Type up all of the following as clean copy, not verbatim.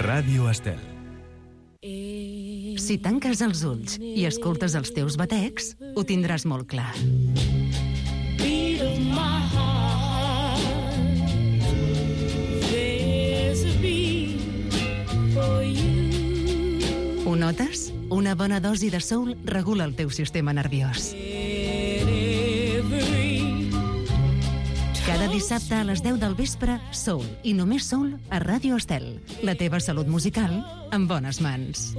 Ràdio Estel. Si tanques els ulls i escoltes els teus batecs, ho tindràs molt clar. Ho notes? Una bona dosi de soul regula el teu sistema nerviós. Cada dissabte a les 10 del vespre, soul i només soul a Ràdio Estel. La teva salut musical en bones mans.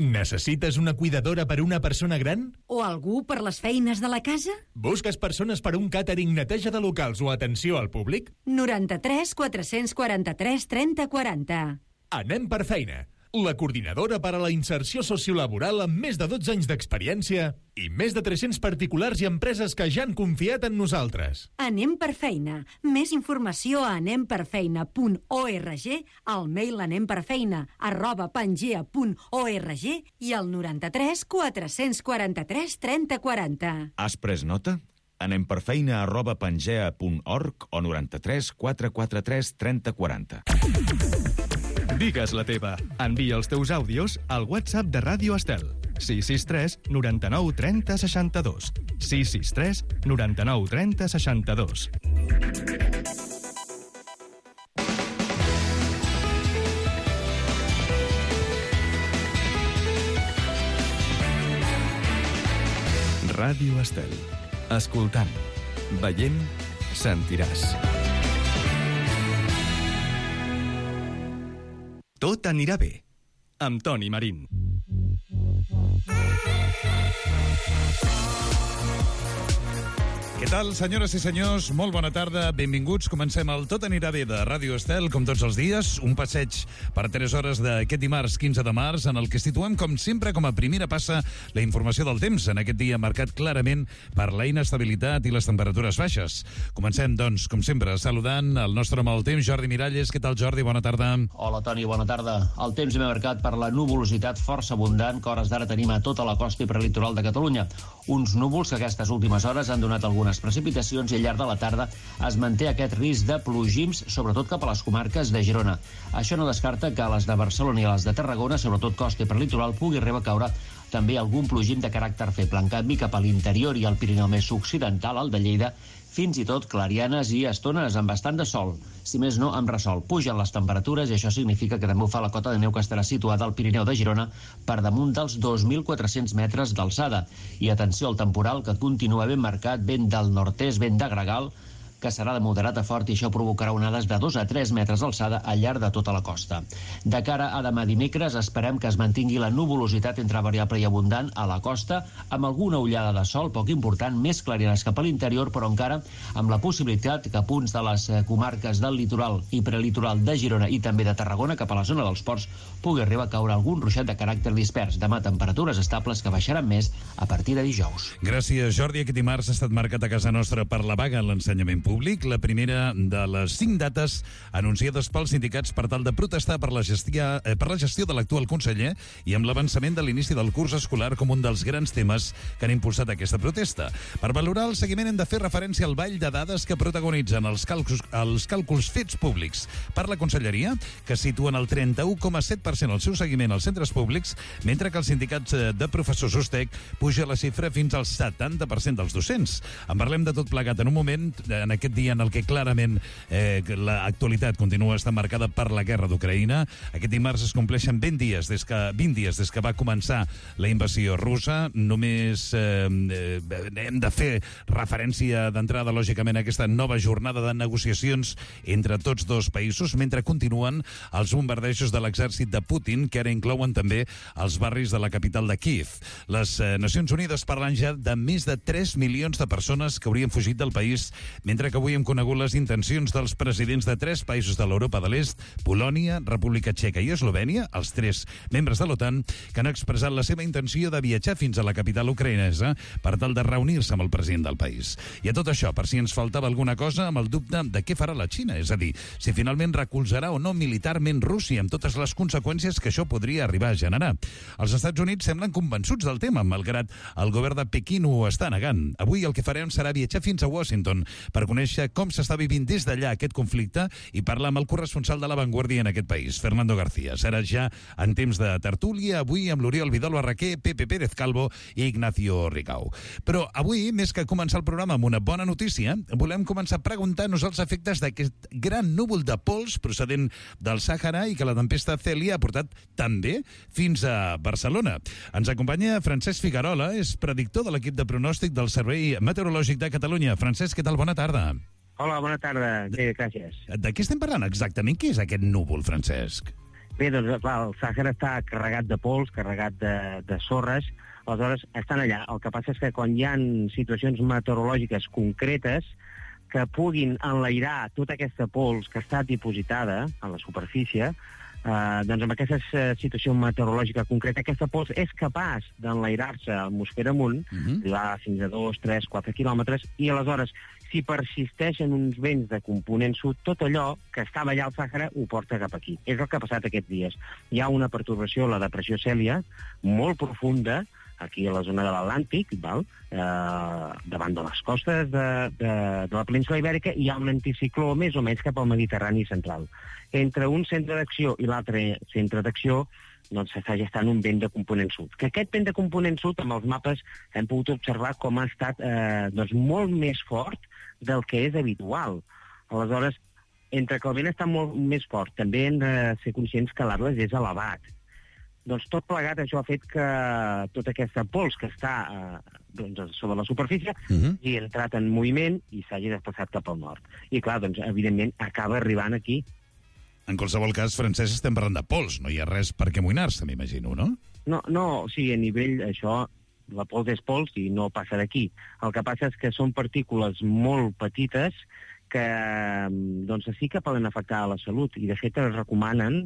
Necessites una cuidadora per una persona gran? O algú per les feines de la casa? Busques persones per un càtering, neteja de locals o atenció al públic? 93 443 30 40. Anem per feina. La coordinadora per a la inserció sociolaboral amb més de 12 anys d'experiència i més de 300 particulars i empreses que ja han confiat en nosaltres. Anem per feina. Més informació a anemperfeina.org, al mail anemperfeina@pangea.org i al 93 443 30 40. Has pres nota? anemperfeina@pangea.org o 93 443 30 40. Digues la teva. Envia els teus àudios al WhatsApp de Ràdio Estel. 663 99 30 62. 663 99 30 62. Ràdio Estel. Escoltant, veient, sentiràs. Tot anirà bé. Amb Toni Marín. Què tal, senyores i senyors? Molt bona tarda, benvinguts. Comencem el Tot anirà bé de Ràdio Estel, com tots els dies. Un passeig per 3 hores d'aquest dimarts 15 de març, en el que situem, com sempre, com a primera passa, la informació del temps, en aquest dia marcat clarament per la inestabilitat i les temperatures baixes. Comencem, doncs, com sempre, saludant el nostre home del temps, Jordi Miralles. Què tal, Jordi? Bona tarda. Hola, Toni, bona tarda. El temps ve marcat per la nuvolositat força abundant que hores d'ara tenim a tota la costa i prelitoral de Catalunya. Uns núvols que aquestes últimes hores han donat algunes precipitacions i al llarg de la tarda es manté aquest risc de plogims, sobretot cap a les comarques de Girona. Això no descarta que a les de Barcelona i a les de Tarragona, sobretot costa i prelitoral, pugui arribar a caure també algun plogim de caràcter feble. En canvi, cap a l'interior i al Pirineu més occidental, al de Lleida, fins i tot clarianes i estones amb bastant de sol. Si més no, amb ressol. Pugen les temperatures i això significa que també ho fa la cota de neu que estarà situada al Pirineu de Girona per damunt dels 2.400 metres d'alçada. I atenció al temporal, que continua ben marcat, vent del nord-est, vent de gregal, que serà de moderat a fort i això provocarà onades de 2 a 3 metres d'alçada al llarg de tota la costa. De cara a demà dimecres esperem que es mantingui la nuvolositat entre variable i abundant a la costa, amb alguna ullada de sol poc important, més clarianes cap a l'interior, però encara amb la possibilitat que a punts de les comarques del litoral i prelitoral de Girona i també de Tarragona, cap a la zona dels ports, pugui arribar a caure algun ruixat de caràcter dispers. Demà temperatures estables que baixaran més a partir de dijous. Gràcies, Jordi. Aquest dimarts ha estat marcat a casa nostra per la vaga en l'ensenyament públic, la primera de les 5 dates anunciades pels sindicats per tal de protestar per la gestió de l'actual conseller i amb l'avançament de l'inici del curs escolar com un dels grans temes que han impulsat aquesta protesta. Per valorar el seguiment hem de fer referència al ball de dades que protagonitzen els càlculs fets públics per la Conselleria, que situen el 31,7% al seu seguiment als centres públics, mentre que els sindicats de professors USTEC puja la xifra fins al 70% dels docents. En parlem de tot plegat en un moment, en aquest dia en el que clarament l'actualitat continua estant marcada per la guerra d'Ucraïna. Aquest dimarts es compleixen 20 dies des que va començar la invasió russa. Només hem de fer referència d'entrada, lògicament, a aquesta nova jornada de negociacions entre tots dos països, mentre continuen els bombardejos de l'exèrcit de Putin, que ara inclouen també els barris de la capital de Kíev. Les Nacions Unides parlen ja de més de 3 milions de persones que haurien fugit del país, mentre que avui hem conegut les intencions dels presidents de 3 països de l'Europa de l'Est, Polònia, República Txeca i Eslovènia, els 3 membres de l'OTAN, que han expressat la seva intenció de viatjar fins a la capital ucraïnesa per tal de reunir-se amb el president del país. I a tot això, per si ens faltava alguna cosa, amb el dubte de què farà la Xina, és a dir, si finalment recolzarà o no militarment Rússia amb totes les conseqüències que això podria arribar a generar. Els Estats Units semblen convençuts del tema, malgrat el govern de Pequín ho està negant. Avui el que farem serà viatjar fins a Washington per conèixer conèixer com s'està vivint des d'allà aquest conflicte i parlar amb el corresponsal de La Vanguardia en aquest país, Fernando García. Serà ja en temps de tertúlia, avui amb l'Oriol Vidal Barraquer, Pepe Pérez Calvo i Ignacio Ricau. Però avui, més que començar el programa amb una bona notícia, volem començar preguntant-nos els efectes d'aquest gran núvol de pols procedent del Sàhara i que la tempesta Cèlia ha portat també fins a Barcelona. Ens acompanya Francesc Figuerola, és predictor de l'equip de pronòstic del Servei Meteorològic de Catalunya. Francesc, què tal? Bona tarda. Hola, bona tarda. Bé, gràcies. De què estem parlant exactament? Què és aquest núvol, Francesc? Bé, doncs, clar, el Sàhara està carregat de pols, carregat de sorres, aleshores estan allà. El que passa és que quan hi ha situacions meteorològiques concretes que puguin enlairar tota aquesta pols que està dipositada a la superfície, doncs amb aquesta situació meteorològica concreta, aquesta pols és capaç d'enlairar-se a l'atmosfera amunt, arribar fins a 2, 3, 4 quilòmetres, i aleshores, si persisteixen uns vents de component sud, tot allò que estava allà al Sàhara ho porta cap aquí. És el que ha passat aquests dies. Hi ha una pertorbació, la depressió Cèlia, molt profunda, aquí a la zona de l'Atlàntic, davant de les costes de la península Ibèrica, hi ha un anticicló més o menys cap al Mediterrani central. Entre un centre d'acció i l'altre centre d'acció doncs s'està gestant un vent de component sud. Que aquest vent de component sud, amb els mapes, hem pogut observar com ha estat molt més fort del que és habitual. Aleshores, entre que el vent està molt més fort, també hem de ser conscients que l'Atles és elevat. Doncs tot plegat això ha fet que tota aquesta pols que està sobre la superfície hagi entrat en moviment i s'hagi desplaçat cap al nord. I clar, doncs, evidentment, acaba arribant aquí. En qualsevol cas, Francesc, estem parlant de pols. No hi ha res per què amoïnar-se, m'imagino, no? No, o sigui, a nivell això, la pols és pols i no passa d'aquí. El que passa és que són partícules molt petites que doncs, sí que poden afectar a la salut i, de fet, es recomanen,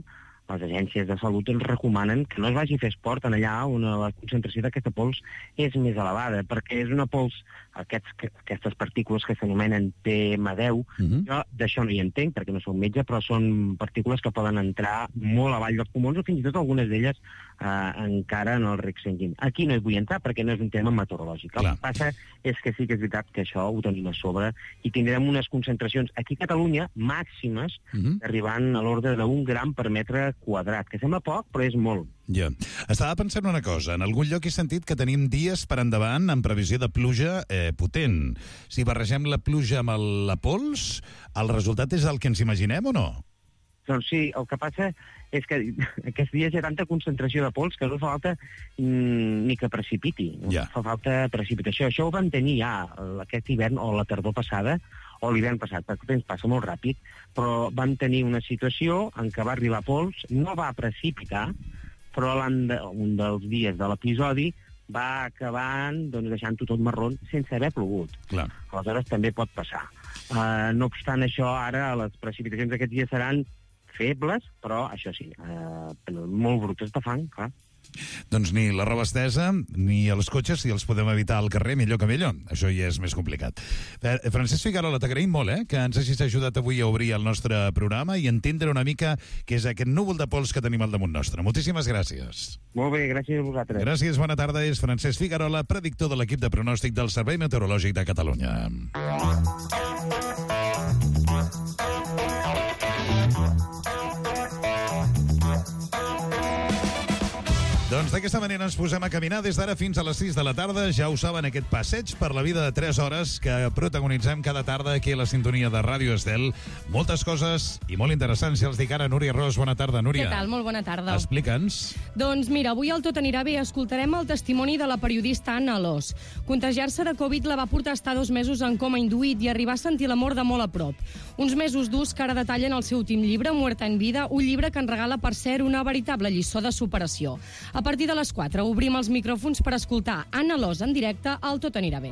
les agències de salut ens recomanen que no es vagi a fer esport en allà on la concentració d'aquesta pols és més elevada, perquè és una pols, aquestes partícules que s'anomenen PM10, jo d'això no hi entenc, perquè no soc metge, però són partícules que poden entrar molt avall dels pulmons o fins i tot algunes d'elles encara en el rec sanguini. Aquí no hi vull entrar perquè no és un tema meteorològic. El que passa és que sí que és veritat que això ho tenim a sobre i tindrem unes concentracions aquí a Catalunya màximes arribant a l'ordre d'un gram per metre quadrat, que sembla poc, però és molt. Ja. Estava pensant una cosa. En algun lloc he sentit que tenim dies per endavant en previsió de pluja potent. Si barregem la pluja amb la pols, el resultat és el que ens imaginem o no? Doncs sí, el que passa és que aquests dies hi ha tanta concentració de pols que no fa falta ni que precipiti. No fa falta precipitació. Això ho vam tenir ja aquest hivern o la tardor passada o l'hivern passat, perquè el temps passa molt ràpid, però vam tenir una situació en què va arribar pols, no va precipitar, però un dels dies de l'episodi va acabant deixant-ho tot marró sense haver plogut. Aleshores també pot passar. No obstant això, ara les precipitacions d'aquests dies seran febles, però això sí, molt brutes de fang, clar. Doncs ni la roba estesa ni els cotxes, si els podem evitar al carrer, millor que millor. Això ja és més complicat. Francesc Figuerola, t'agraïm molt que ens hagis ajudat avui a obrir el nostre programa i entendre una mica què és aquest núvol de pols que tenim al damunt nostre. Moltíssimes gràcies. Molt bé, gràcies a vosaltres. Gràcies, bona tarda. És Francesc Figuerola, predictor de l'equip de pronòstic del Servei Meteorològic de Catalunya. Doncs d'aquesta manera ens posem a caminar des d'ara fins a les 6 de la tarda. Ja ho saben, aquest passeig per la vida de 3 hores que protagonitzem cada tarda aquí a la sintonia de Ràdio Estel. Moltes coses i molt interessants. Ja els dic ara, Núria Ros. Bona tarda, Núria. Què tal? Molt bona tarda. Explica'ns. Doncs mira, avui al Tot anirà bé escoltarem el testimoni de la periodista Anna Alòs. Contagiar-se de Covid la va portar a estar 2 mesos en coma induït i arribar a sentir la mort de molt a prop. Uns mesos durs que ara detallen el seu últim llibre, Muerta en vida, un llibre que en regala, per cert, una veritable lliçó de superació. A partir de les 4 obrim els micròfons per escoltar Anna Alòs en directe al Tot anirà bé.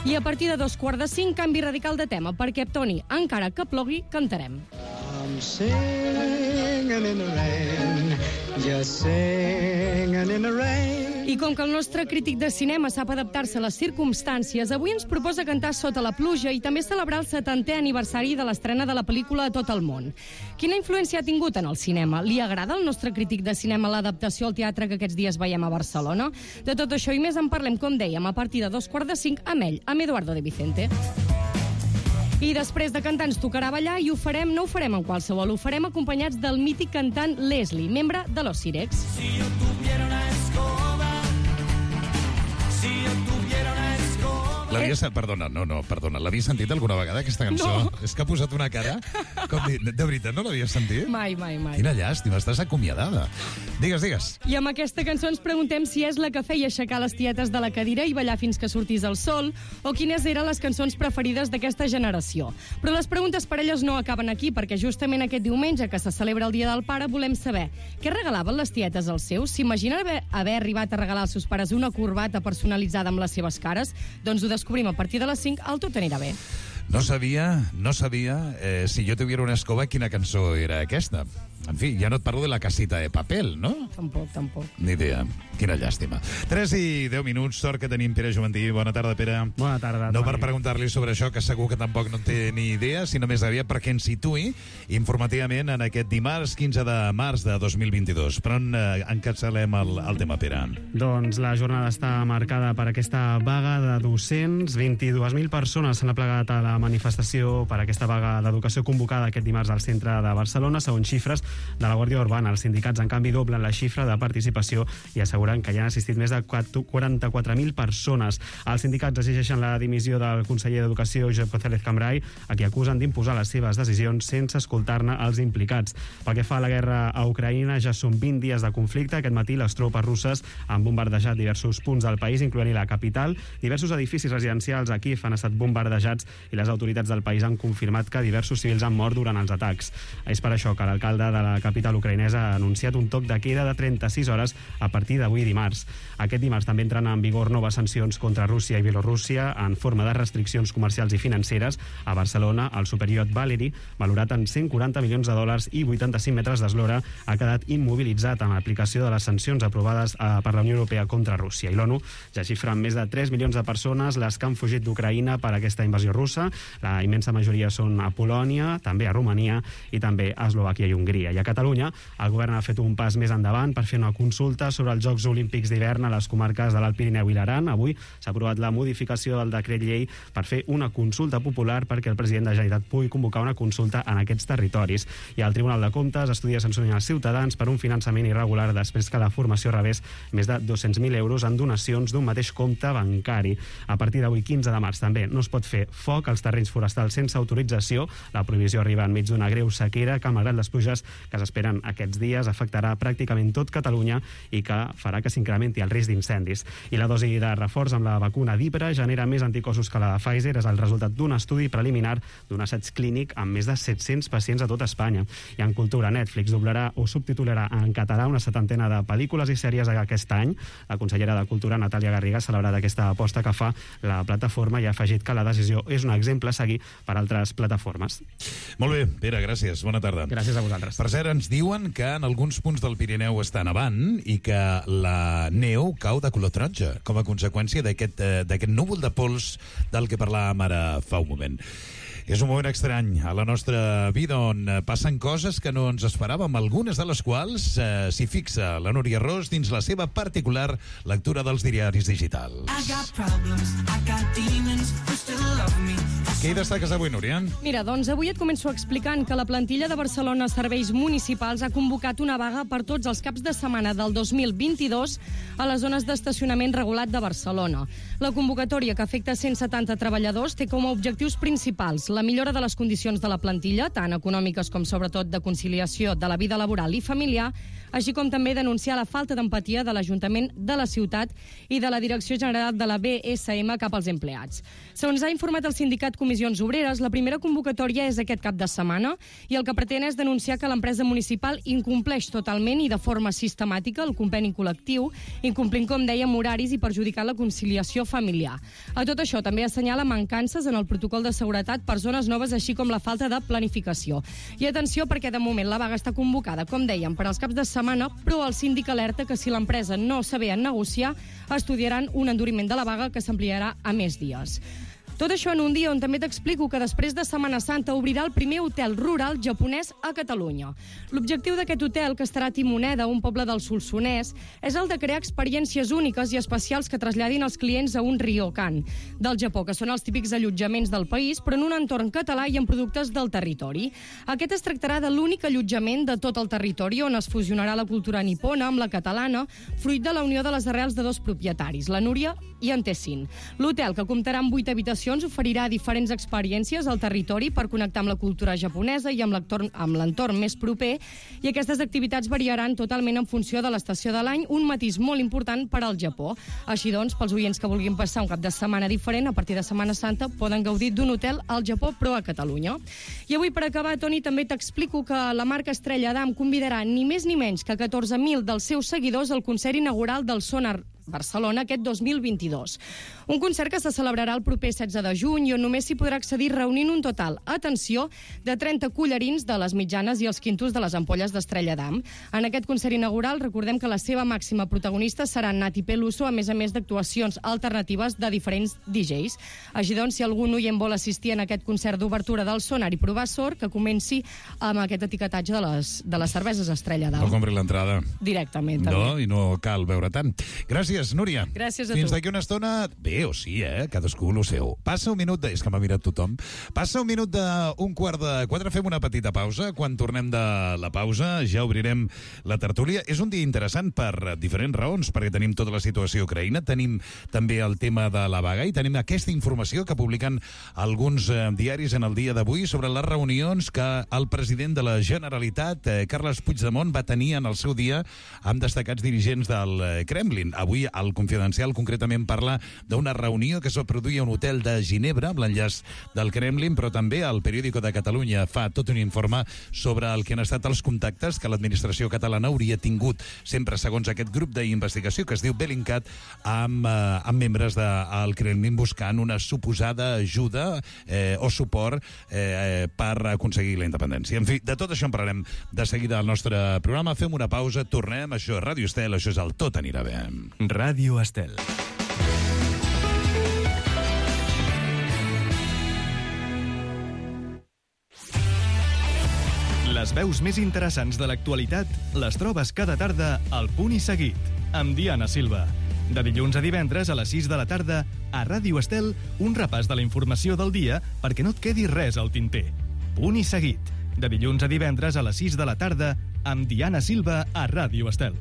I a partir de 4:45, canvi radical de tema, perquè, Toni, encara que plogui, cantarem. I'm singing in the rain, just singing in the rain. I com que el nostre crític de cinema sap adaptar-se a les circumstàncies, avui ens proposa cantar Sota la pluja i també celebrar el 70è aniversari de l'estrena de la pel·lícula a tot el món. Quina influència ha tingut en el cinema? Li agrada al nostre crític de cinema l'adaptació al teatre que aquests dies veiem a Barcelona? De tot això i més en parlem, com dèiem, a partir de 2:45 amb ell, amb Eduardo de Vicente. I després de cantar ens tocarà ballar i ho farem, no ho farem en qualsevol, ho farem acompanyats del mític cantant Leslie, membre de Los Sirex. Si yo tuviera una escoba, si yo tuviera una escoba... Perdona, l'havies sentit alguna vegada, aquesta cançó? No. És que ha posat una cara... De veritat, no l'havies sentit? Mai. Quina llàstima, estàs acomiadada. Digues. I amb aquesta cançó ens preguntem si és la que feia aixecar les tietes de la cadira i ballar fins que sortís el sol, o quines eren les cançons preferides d'aquesta generació. Però les preguntes per elles no acaben aquí, perquè justament aquest diumenge, que se celebra el Dia del Pare, volem saber què regalaven les tietes als seus. S'imaginen haver arribat a regalar als seus pares una corbata personalitzada amb les seves cares? Doncs ho descobrim a partir de les 5 al Tot anirà bé. No sabia si jo tuviera una escoba quina cançó era aquesta. En fi, ja no et parlo de la casita de papel, no? Tampoc. Ni idea. Quina llàstima. 3 i 10 minuts, sort que tenim Pere Juventí. Bona tarda, Pere. Bona tarda. No per preguntar-li sobre això, que segur que tampoc no en té ni idea, sinó més aviat perquè ens situï informativament en aquest dimarts 15 de març de 2022. Per on encapçalem el tema, Pere? Doncs la jornada està marcada per aquesta vaga de docents. 22.000 persones s'han aplegat a la manifestació per aquesta vaga d'educació convocada aquest dimarts al centre de Barcelona. Segons xifres de la Guàrdia Urbana, els sindicats, en canvi, doblen la xifra de participació i asseguren que hi han assistit més de 44.000 persones. Els sindicats exigeixen la dimissió del conseller d'Educació, Josep González Cambray, a qui acusen d'imposar les seves decisions sense escoltar-ne els implicats. Pel que fa a la guerra a Ucraïna, ja són 20 dies de conflicte. Aquest matí les tropes russes han bombardejat diversos punts del país, incloent-hi la capital. Diversos edificis residencials a Kíev han estat bombardejats i les autoritats del país han confirmat que diversos civils han mort durant els atacs. És per això que l'alcalde de la capital ucraïnesa ha anunciat un toc de queda de 36 hores a partir d'avui dimarts. Aquest dimarts també entren en vigor noves sancions contra Rússia i Bielorússia en forma de restriccions comercials i financeres. A Barcelona, el superiot Valery, valorat en 140 milions de dòlars i 85 metres d'eslora, ha quedat immobilitzat en l'aplicació de les sancions aprovades per la Unió Europea contra Rússia. I l'ONU ja xifra en més de 3 milions de persones les que han fugit d'Ucraïna per aquesta invasió russa. La immensa majoria són a Polònia, també a Romania i també a Eslovàquia i Hongria. I a Catalunya, el govern ha fet un pas més endavant per fer una consulta sobre els Jocs Olímpics d'hivern a les comarques de l'Alt Pirineu i l'Aran. Avui s'ha aprovat la modificació del decret llei per fer una consulta popular perquè el president de la Generalitat pugui convocar una consulta en aquests territoris. I el Tribunal de Comptes estudia sancionar els ciutadans per un finançament irregular després que la formació rebés més de 200.000 euros en donacions d'un mateix compte bancari. A partir d'avui, 15 de març, també no es pot fer foc als terrenys forestals sense autorització. La prohibició arriba enmig d'una greu sequera que, malgrat les pluges que s'esperen aquests dies, afectarà pràcticament tot Catalunya i que farà que s'incrementi el risc d'incendis. I la dosi de reforç amb la vacuna d'Hipra genera més anticossos que la de Pfizer. És el resultat d'un estudi preliminar d'un assaig clínic amb més de 700 pacients a tot Espanya. I en cultura, Netflix doblarà o subtitularà en català una 70ena de pel·lícules i sèries aquest any. La consellera de Cultura, Natàlia Garriga, ha celebrat aquesta aposta que fa la plataforma i ha afegit que la decisió és un exemple a seguir per altres plataformes. Molt bé, Pere, gràcies. Bona tarda. Gràcies a vosaltres. Per cert, ens diuen que en alguns punts del Pirineu està nevant i que la neu cau de color taronja com a conseqüència d'aquest núvol de pols del que parlàvem ara fa un moment. És un moment estrany a la nostra vida on passen coses que no ens esperàvem, algunes de les quals s'hi fixa la Núria Ros dins la seva particular lectura dels diaris digitals. Què hi destaques avui, Núria? Mira, doncs avui et començo explicant que la plantilla de Barcelona Serveis Municipals ha convocat una vaga per tots els caps de setmana del 2022 a les zones d'estacionament regulat de Barcelona. La convocatòria, que afecta 170 treballadors, té com a objectius principals la millora de les condicions de la plantilla, tant econòmiques com sobretot de conciliació de la vida laboral i familiar, així com també denunciar la falta d'empatia de l'Ajuntament de la ciutat i de la Direcció General de la BSM cap als empleats. Segons ha informat el sindicat Comissions Obreres, la primera convocatòria és aquest cap de setmana i el que pretén és denunciar que l'empresa municipal incompleix totalment i de forma sistemàtica el conveni col·lectiu, incomplint, com dèiem, horaris i perjudicant la conciliació familiar. A tot això també assenyala mancances en el protocol de seguretat per zones zones noves, així com la falta de planificació. I atenció, perquè de moment la vaga està convocada, com dèiem, per als caps de setmana, però el síndic alerta que si l'empresa no sabé negociar, estudiaran un enduriment de la vaga que s'ampliarà a més dies. Tot això en un dia on també t'explico que després de Setmana Santa obrirà el primer hotel rural japonès a Catalunya. L'objectiu d'aquest hotel, que estarà a Timoneda, un poble del Solsonès, és el de crear experiències úniques i especials que traslladin els clients a un ryokan del Japó, que són els típics allotjaments del país, però en un entorn català i amb productes del territori. Aquest es tractarà de l'únic allotjament de tot el territori on es fusionarà la cultura nipona amb la catalana, fruit de la unió de les arrels de dos propietaris, la Núria i en Tessin. L'hotel, que comptarà amb 8 habitacions, oferirà diferents experiències al territori per connectar amb la cultura japonesa i amb l'entorn més proper, i aquestes activitats variaran totalment en funció de l'estació de l'any, un matís molt important per al Japó. Així doncs, pels oients que vulguin passar un cap de setmana diferent, a partir de Setmana Santa poden gaudir d'un hotel al Japó, però a Catalunya. I avui, per acabar, Toni, també t'explico que la marca Estrella Damm convidarà ni més ni menys que 14.000 dels seus seguidors al concert inaugural del Sonar Barcelona aquest 2022. Un concert que se celebrarà el proper 16 de juny i on només s'hi podrà accedir reunint un total, atenció, de 30 collarins de les mitjanes i els quintos de les ampolles d'Estrella Damm. En aquest concert inaugural recordem que la seva màxima protagonista serà Nati Peluso, a més d'actuacions alternatives de diferents DJs. Així doncs, si algun oient vol assistir en aquest concert d'obertura del Sonar i provar sort, que comenci amb aquest etiquetatge de les cerveses Estrella Damm. No compri l'entrada. Directament, també. No, i no cal veure tant. Gràcies, Núria. Gràcies a tu. Fins d'aquí una estona... Bé o sí, cadascú lo seu. Passa un minut de... És que m'ha mirat tothom. Passa un minut d'un quart de 4. Fem una petita pausa. Quan tornem de la pausa ja obrirem la tertúlia. És un dia interessant per diferents raons, perquè tenim tota la situació a Ucraïna, tenim també el tema de la vaga i tenim aquesta informació que publiquen alguns diaris en el dia d'avui sobre les reunions que el president de la Generalitat, Carles Puigdemont, va tenir en el seu dia amb destacats dirigents del Kremlin. Avui el Confidencial concretament parla d'una reunió que es va produir a un hotel de Ginebra amb l'enllaç del Kremlin, però també el Periódico de Catalunya fa tot un informe sobre el que han estat els contactes que l'administració catalana hauria tingut, sempre segons aquest grup d'investigació que es diu Bellingcat, amb membres del Kremlin buscant una suposada ajuda o suport per aconseguir la independència. En fi, de tot això en parlarem de seguida al nostre programa. Fem una pausa, tornem. Això és Ràdio Estel, això és el Tot anirà bé. Ràdio Estel. Les veus més interessants de l'actualitat les trobes cada tarda al Punt i Seguit, amb Diana Silva. De dilluns a divendres a les 6 de la tarda, a Ràdio Estel, un repàs de la informació del dia perquè no et quedi res al tinter. Punt i Seguit, de dilluns a divendres a les 6 de la tarda, amb Diana Silva a Ràdio Estel.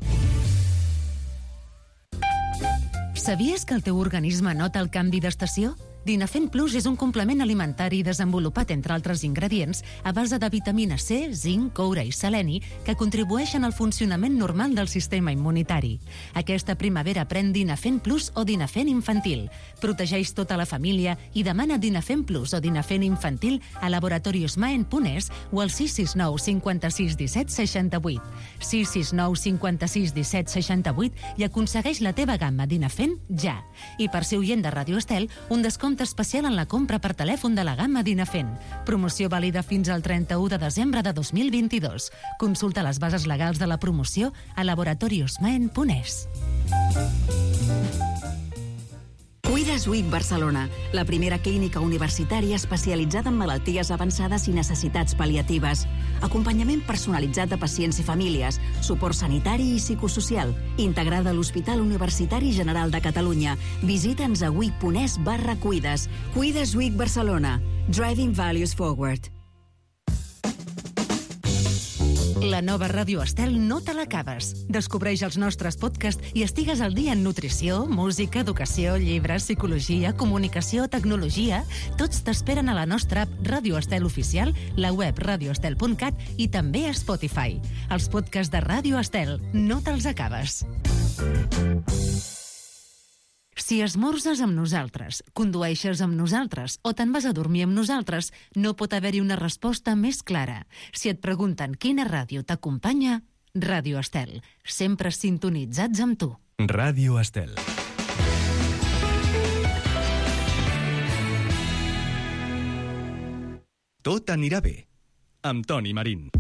Sabies que el teu organisme nota el canvi d'estació? Dinafem Plus és un complement alimentari desenvolupat, entre altres ingredients, a base de vitamina C, zinc, coure i seleni, que contribueixen al funcionament normal del sistema immunitari. Aquesta primavera pren Dinafem Plus o Dinafem Infantil. Protegeix tota la família i demana Dinafem Plus o Dinafem Infantil a Laboratorios Maen.es o al 669 56 17 68. 669 56 17 68 i aconsegueix la teva gamma Dinafem ja. I per ser oient de Ràdio Estel, un descompte especial en la compra per telèfon de la gamma Dinafem. Promoció vàlida fins al 31 de desembre de 2022. Consulta les bases legals de la promoció a laboratoriosmaen.es. Cuides Week Barcelona, la primera clínica universitària especialitzada en malalties avançades i necessitats pal·liatives. Acompanyament personalitzat de pacients i famílies, suport sanitari i psicosocial, integrada a l'Hospital Universitari General de Catalunya. Visita'ns a week.es/cuides. Cuides Week Barcelona. Driving Values Forward. La nova Ràdio Estel no te l'acabes. Descobreix els nostres podcasts i estigues al dia en nutrició, música, educació, llibres, psicologia, comunicació, tecnologia. Tots t'esperen a la nostra app Ràdio Estel Oficial, la web radioestel.cat i també a Spotify. Els podcasts de Ràdio Estel no te'ls acabes. Si esmorzes amb nosaltres, condueixes amb nosaltres o te'n vas a dormir amb nosaltres, no pot haver-hi una resposta més clara. Si et pregunten quina ràdio t'acompanya, Ràdio Estel. Sempre sintonitzats amb tu. Ràdio Estel. Tot anirà bé. Amb Toni Marín.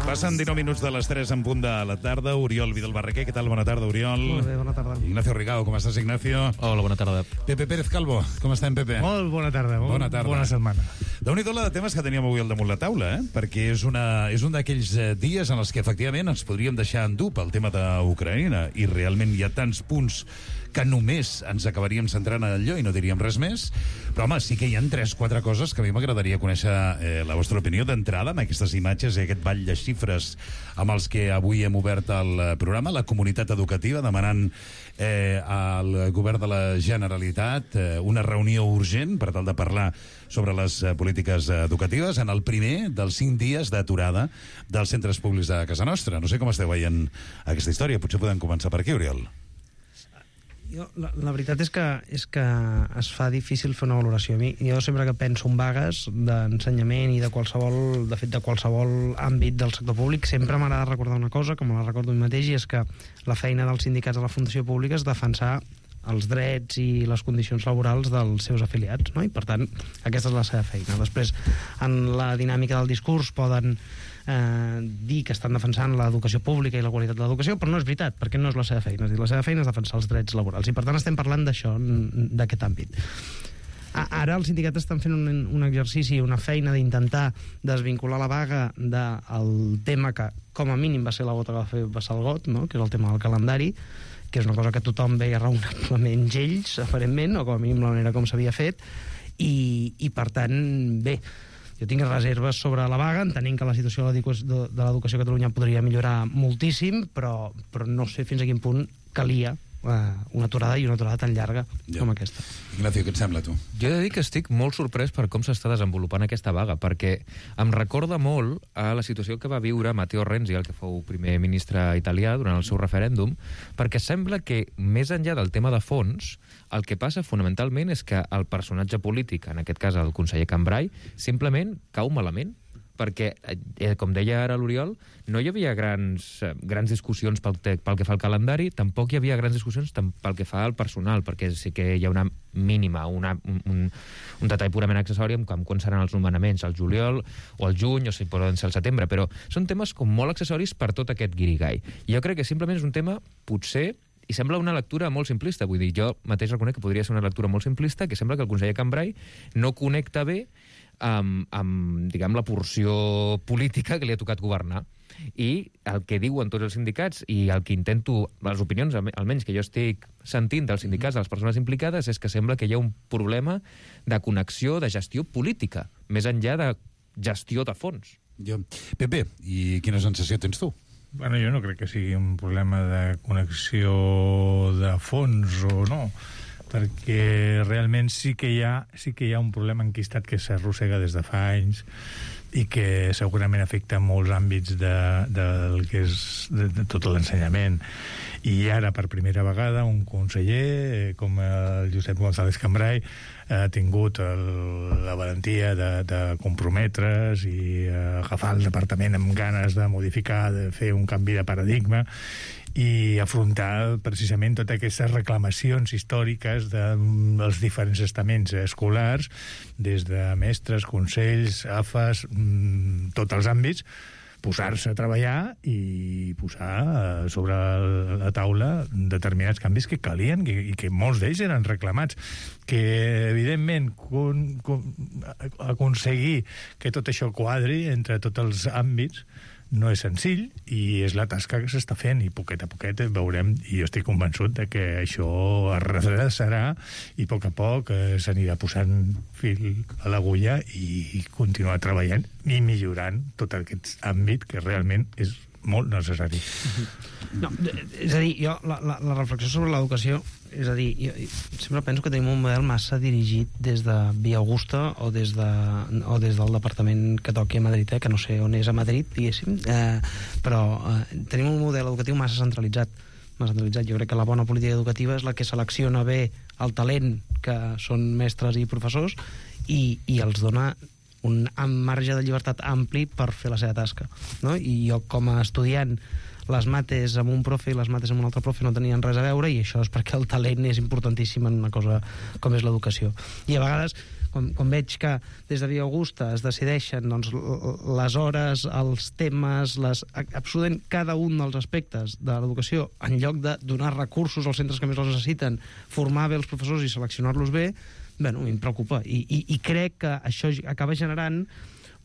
Passen 19 minuts de les 3 en punt de la tarda. Oriol Vidal Barraquer, què tal? Bona tarda, Oriol. Molt bé, bona tarda. Ignacio Rigao, com estàs, Ignacio? Hola, bona tarda. Pepe Pérez Calvo, com estem, Pepe? Molt bona tarda. Bona tarda. Bona setmana. Déu-n'hi-do la de temes que teníem avui al damunt la taula, perquè és un d'aquells dies en els que efectivament ens podríem deixar endur pel tema d'Ucraïna i realment hi ha tants punts que només ens acabaríem centrant en allò i no diríem res més, però home, sí que hi ha 3-4 coses que a mi m'agradaria conèixer la vostra opinió d'entrada amb aquestes imatges i aquest ball de xifres amb els que avui hem obert el programa, la comunitat educativa demanant al govern de la Generalitat una reunió urgent per tal de parlar sobre les polítiques educatives en el primer dels 5 dies d'aturada dels centres públics de casa nostra. No sé com esteu veient aquesta història, potser podem començar per aquí, Oriol. La veritat és que es fa difícil fer una valoració. Jo sempre que penso en vagues d'ensenyament i de qualsevol àmbit del sector públic, sempre m'agrada recordar una cosa, com la recordo mi mateix, i és que la feina dels sindicats de la funció pública és defensar els drets i les condicions laborals dels seus afiliats, no? I per tant, aquesta és la seva feina. Després, en la dinàmica del discurs poden dir que estan defensant l'educació pública i la qualitat de l'educació, però no és veritat, perquè no és la seva feina. És dir, la seva feina és defensar els drets laborals i per tant estem parlant d'això, d'aquest àmbit. Ara els sindicats estan fent un exercici, una feina d'intentar desvincular la vaga del tema que com a mínim va ser la gota que va fer vessar el got, no? Que és el tema del calendari, que és una cosa que tothom veia raonablement ells, aparentment, o com a mínim la manera com s'havia fet, i per tant, bé, jo tinc reserves sobre la vaga, entenent que la situació de l'educació a Catalunya podria millorar moltíssim, però no sé fins a quin punt calia una aturada i una aturada tan llarga com aquesta. Ignacio, què et sembla, tu? Jo he de dir que estic molt sorprès per com s'està desenvolupant aquesta vaga, perquè em recorda molt a la situació que va viure Matteo Renzi, el que fou primer ministre italià durant el seu referèndum, perquè sembla que, més enllà del tema de fons, el que passa fonamentalment és que el personatge polític, en aquest cas el conseller Cambray, simplement cau malament, perquè, com deia ara l'Oriol, no hi havia grans discussions pel que fa al calendari, tampoc hi havia grans discussions pel que fa al personal, perquè sí que hi ha una mínima, un detall purament accessori com quan seran els nomenaments, al juliol o al juny, o si poden ser al setembre, però són temes com molt accessoris per tot aquest guirigall. Jo crec que simplement és un tema, potser, i sembla una lectura molt simplista, vull dir, jo mateix reconec que podria ser una lectura molt simplista, que sembla que el conseller Cambray no connecta bé amb diguem, la porció política que li ha tocat governar. I el que diuen tots els sindicats i el que intento, les opinions almenys que jo estic sentint dels sindicats, de les persones implicades, és que sembla que hi ha un problema de connexió, de gestió política, més enllà de gestió de fons. Pepe, i quina sensació tens tu? Bueno, jo no crec que sigui un problema de connexió de fons o no, perquè realment sí que hi ha un problema enquistat que s'arrossega des de fa anys i que segurament afecta molts àmbits del que és de tot l'ensenyament. I ara, per primera vegada, un conseller com el Josep González Cambray ha tingut la valentia de comprometre's i agafar el departament amb ganes de modificar, de fer un canvi de paradigma i afrontar precisament totes aquestes reclamacions històriques dels diferents estaments escolars, des de mestres, consells, AFAs, tots els àmbits, posar-se a treballar i posar sobre la taula determinats canvis que calien i que molts d'ells eren reclamats. Que, evidentment, aconseguir que tot això quadri entre tots els àmbits no és senzill i és la tasca que s'està fent i poquet a poquet veurem, i jo estic convençut de que això es redreçarà i a poc s'anirà posant fil a l'agulla i continuar treballant i millorant tot aquest àmbit que realment és molt necessari. No, és a dir, jo la reflexió sobre l'educació, és a dir, jo sempre penso que tenim un model massa dirigit des de Via Augusta o des del departament que toqui a Madrid, que no sé on és a Madrid, diguéssim, però tenim un model educatiu massa centralitzat. Jo crec que la bona política educativa és la que selecciona bé el talent que són mestres i professors i els dona un marge de llibertat ampli per fer la seva tasca, no? I jo com a estudiant les mates amb un profe i les mates amb un altre profe no tenien res a veure, i això és perquè el talent és importantíssim en una cosa com és l'educació. I a vegades, quan veig que des de Via Augusta es decideixen doncs, les hores, els temes, absolutament cada un dels aspectes de l'educació, en lloc de donar recursos als centres que més els necessiten, formar bé els professors i seleccionar-los bé, bueno, em preocupa. I crec que això acaba generant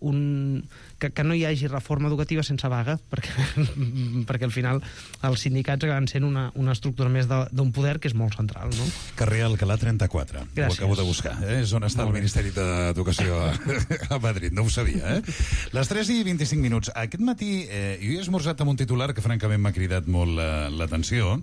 que no hi hagi reforma educativa sense vaga, perquè al final els sindicats acaben sent una estructura més d'un poder que és molt central, no? Carrer Alcalá 34. Gràcies. Ho acabo de buscar. És on està el Ministeri d'Educació a Madrid. No ho sabia, Les 3:25. Aquest matí jo he esmorzat amb un titular que francament m'ha cridat molt l'atenció.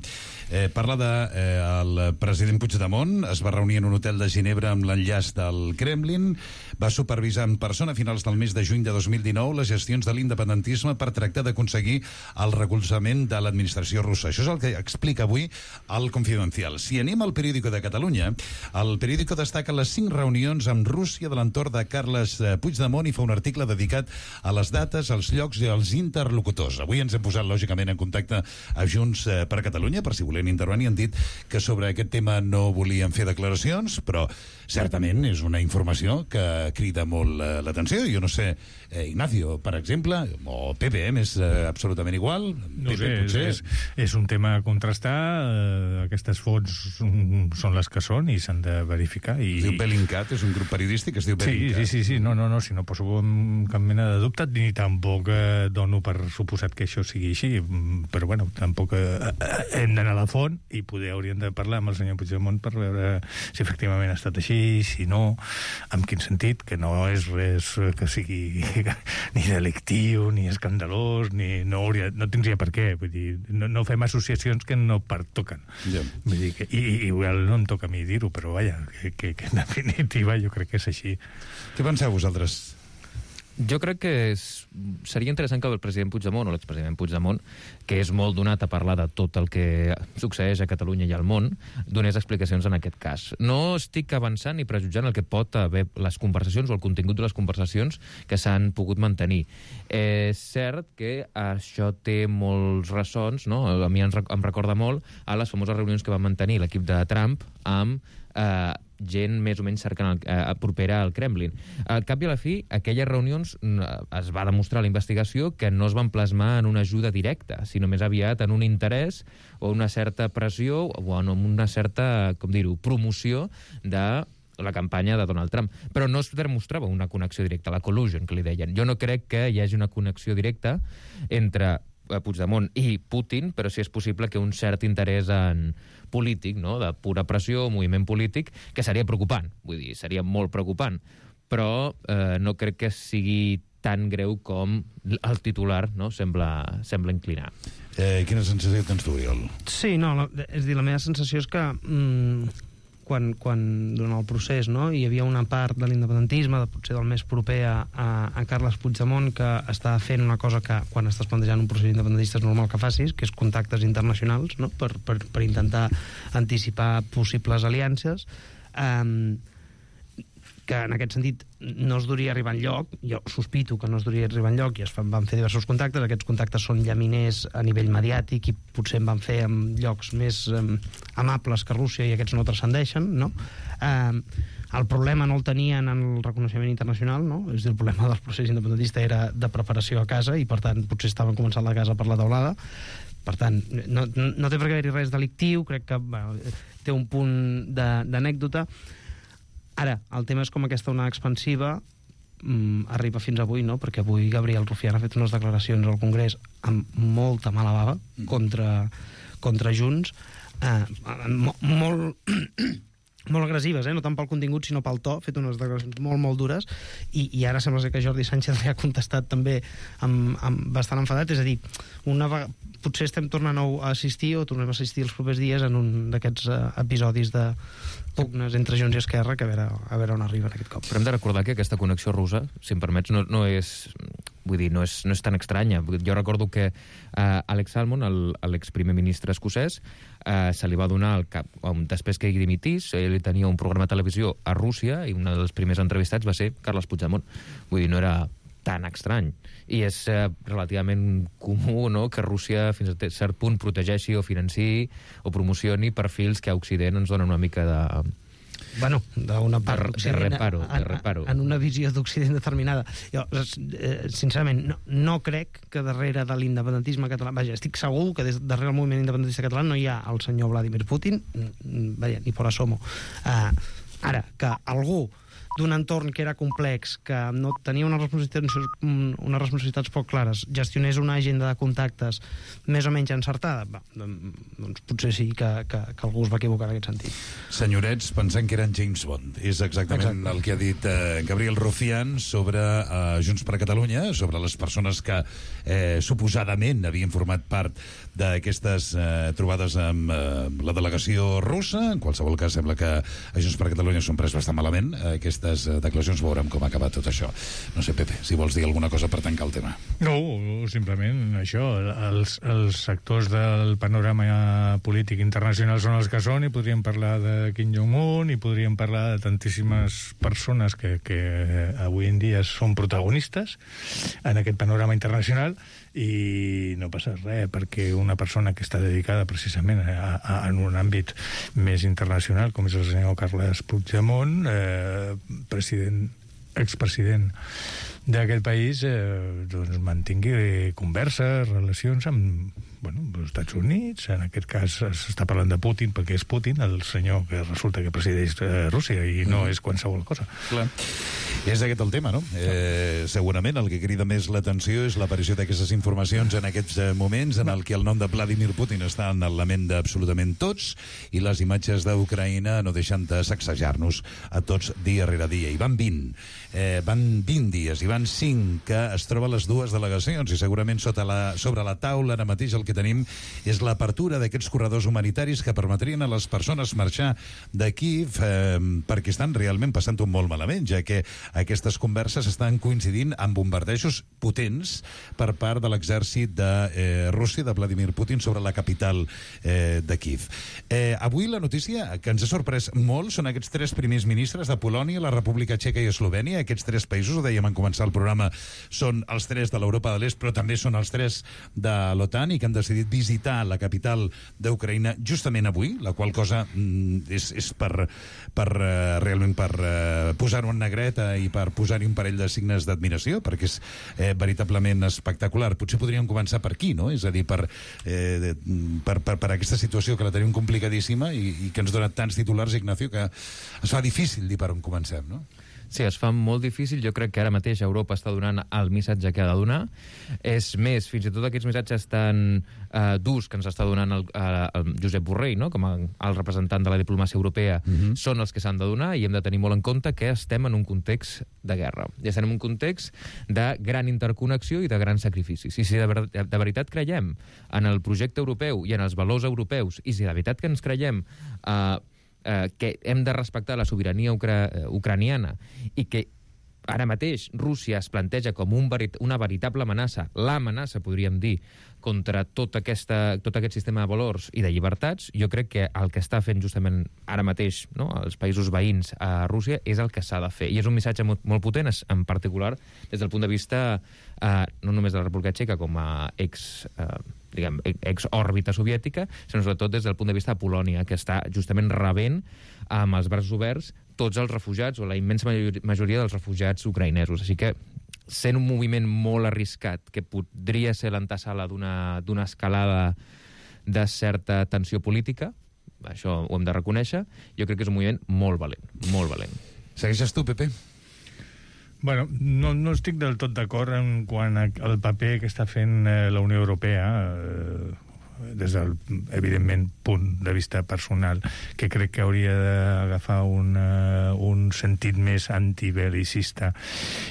Parla del president Puigdemont. Es va reunir en un hotel de Ginebra amb l'enllaç del Kremlin. Va supervisar en persona a finals del mes de juny de 2019 les gestions de l'independentisme per tractar d'aconseguir el recolzament de l'administració russa. Això és el que explica avui el Confidencial. Si anem al Periódico de Catalunya, el Periódico destaca les 5 reunions amb Rússia de l'entorn de Carles Puigdemont i fa un article dedicat a les dates, als llocs i als interlocutors. Avui ens hem posat, lògicament, en contacte a Junts per Catalunya, per si volien intervenir. Han dit que sobre aquest tema no volien fer declaracions, però certament és una informació que crida molt l'atenció. Jo no sé, Ignacio, per exemple, o PPM és absolutament igual? No sé, és un tema a contrastar. Aquestes fonts són les que són i s'han de verificar. Es diu Bellingcat, és un grup periodístic que es diu Bellingcat. Sí. No, si no poso cap mena de dubte, ni tampoc dono per suposat que això sigui així, però bueno, tampoc hem d'anar a la font i poder hauríem de parlar amb el senyor Puigdemont per veure si efectivament ha estat així, si no, en quin sentit, que no és res que sigui ni delictiu, ni escandalós, no tindria per què. Vull dir, no fem associacions que no pertoquen. Yeah. Vull dir que, i igual no em toca a mi dir-ho, però vaja, que en definitiva jo crec que és així. Què penseu vosaltres? Jo crec que seria interessant que el president Puigdemont o l'expresident Puigdemont, que és molt donat a parlar de tot el que succeeix a Catalunya i al món, donés explicacions en aquest cas. No estic avançant ni prejutjant el que pot haver les conversacions o el contingut de les conversacions que s'han pogut mantenir. És cert que això té molts ressons, no? A mi em recorda molt a les famoses reunions que va mantenir l'equip de Trump amb gent més o menys propera al Kremlin. Al cap i a la fi, aquelles reunions es va demostrar a la investigació que no es van plasmar en una ajuda directa, sinó més aviat en un interès o una certa pressió o en una certa, com dir-ho, promoció de la campanya de Donald Trump. Però no es demostrava una connexió directa, la collusion, que li deien. Jo no crec que hi hagi una connexió directa entre Puigdemont i Putin, però sí és possible que un cert interès en polític, no?, de pura pressió, moviment polític, que seria preocupant. Vull dir, seria molt preocupant. Però no crec que sigui tan greu com el titular, no?, sembla inclinar. Quina sensació tens tu, Oriol? Sí, no, és dir, la meva sensació és que quan durant el procés, no, hi havia una part de l'independentisme, potser del més proper a Carles Puigdemont, que estava fent una cosa que quan estàs plantejant un procés independentista és normal que facis, que és contactes internacionals, no?, per intentar anticipar possibles aliances, que en aquest sentit no es duria a arribar enlloc. Jo sospito que no es duria a arribar enlloc i van fer diversos contactes. Aquests contactes són llaminers a nivell mediàtic i potser en van fer en llocs més amables que Rússia i aquests no transcendeixen, no? El problema no el tenien en el reconeixement internacional, no? És a dir, el problema del procés independentista era de preparació a casa i, per tant, potser estaven començant la casa per la teulada. Per tant, no té per què haver-hi res delictiu, crec que té un punt d'anècdota. Ara, el tema és com aquesta onada expansiva arriba fins avui, no? Perquè avui Gabriel Rufián ha fet unes declaracions al Congrés amb molta mala bava contra Junts, molt agressives, no tant pel contingut sinó pel to, ha fet unes declaracions molt dures i ara sembla ser que Jordi Sánchez li ha contestat també bastant enfadat. És a dir, potser estem tornant a assistir o tornem a assistir els propers dies en un d'aquests episodis de pugnes entre Junts i Esquerra, que a veure on arriben aquest cop. Però hem de recordar que aquesta connexió russa, si em permets, no és... Vull dir, no és tan estranya. Jo recordo que Alex Salmond, l'exprimer ministre escocès, se li va donar al cap, després que ell dimitís, ell tenia un programa de televisió a Rússia i un dels primers entrevistats va ser Carles Puigdemont. Vull dir, no era tan estrany. I és relativament comú, no?, que Rússia fins a cert punt protegeixi o financiï o promocioni perfils que a Occident ens donen una mica de... Bueno, d'una part d'Occident, de reparo. En una visió d'Occident determinada. Jo, sincerament, no crec que darrere de l'independentisme català... Vaja, estic segur que darrere del moviment independentista català no hi ha el senyor Vladimir Putin, vaja, ni por asomo. Ara, que algú d'un entorn que era complex, que no tenia unes responsabilitats poc clares, gestionés una agenda de contactes més o menys encertada, doncs potser sí que algú es va equivocar en aquest sentit. Senyorets, pensant que eren James Bond. És exactament el que ha dit Gabriel Rufián sobre Junts per Catalunya, sobre les persones que suposadament havien format part d'aquestes trobades amb la delegació russa. En qualsevol cas, sembla que a Junts per Catalunya s'ho han pres bastant malament. Aquestes declaracions, veurem com ha acabat tot això. No sé, Pepe, si vols dir alguna cosa per tancar el tema. No, simplement això. Els actors del panorama polític internacional són els que són, i podríem parlar de Kim Jong-un, i podríem parlar de tantíssimes persones que avui en dia són protagonistes en aquest panorama internacional, i no passa res, perquè una persona que està dedicada precisament en un àmbit més internacional, com és el senyor Carles Puigdemont, expresident d'aquest país, doncs mantingui converses, relacions amb els Estats Units. En aquest cas s'està parlant de Putin perquè és Putin el senyor que resulta que presideix Rússia, i no és qualsevol cosa. Clar. És aquest el tema, no? Segurament el que crida més l'atenció és l'aparició d'aquestes informacions en aquests moments en el que el nom de Vladimir Putin està en la ment d'absolutament tots, i les imatges d'Ucraïna no deixen de sacsejar-nos a tots dia rere dia. I van 20. Van 20 dies, i van 5 que es troben les dues delegacions, i segurament sobre la taula ara mateix el que tenim és l'apertura d'aquests corredors humanitaris que permetrien a les persones marxar d'aquí, perquè estan realment passant-ho molt malament, ja que aquestes converses estan coincidint amb bombardejos potents per part de l'exèrcit de Rússia, de Vladimir Putin, sobre la capital de Kíev. Avui la notícia que ens ha sorprès molt són aquests 3 primers ministres de Polònia, la República Txeca i Eslovènia. Aquests 3 països, ho dèiem en començar el programa, són els 3 de l'Europa de l'Est, però també són els 3 de l'OTAN, i que han decidit visitar la capital d'Ucraïna justament avui, la qual cosa és realment per posar-ho en negreta i per posar-hi un parell de signes d'admiració, perquè és veritablement espectacular. Potser podríem començar per aquí, no? És a dir, per aquesta situació que la tenim complicadíssima i que ens dona tants titulars, Ignacio, que es fa difícil dir per on comencem, no? Sí, es fa molt difícil. Jo crec que ara mateix Europa està donant el missatge que ha de donar. És més, fins i tot aquests missatges tan durs que ens està donant el Josep Borrell, no?, com el representant de la diplomàcia europea, són els que s'han de donar, i hem de tenir molt en compte que estem en un context de guerra. I estem en un context de gran interconnexió i de grans sacrificis. I si de veritat creiem en el projecte europeu i en els valors europeus, i si de veritat que ens creiem que hem de respectar la sobirania ucraniana, i que ara mateix Rússia es planteja com una veritable amenaça, l'amenaça, podríem dir, contra tot aquest sistema de valors i de llibertats, jo crec que el que està fent justament ara mateix, no?, els països veïns a Rússia és el que s'ha de fer. I és un missatge molt potent, en particular des del punt de vista no només de la República Txeca com a ex-òrbita soviètica, sinó sobretot des del punt de vista de Polònia, que està justament rebent amb els braços oberts tots els refugiats, o la immensa majoria dels refugiats ucraïnesos. Així que, sent un moviment molt arriscat, que podria ser l'antesala d'una escalada de certa tensió política, això ho hem de reconèixer, jo crec que és un moviment molt valent, molt valent. Segueixes tu, Pepe? Bueno, no estic del tot d'acord en quant al paper que està fent la Unió Europea, des del, evidentment, punt de vista personal, que crec que hauria d'agafar un sentit més antibelicista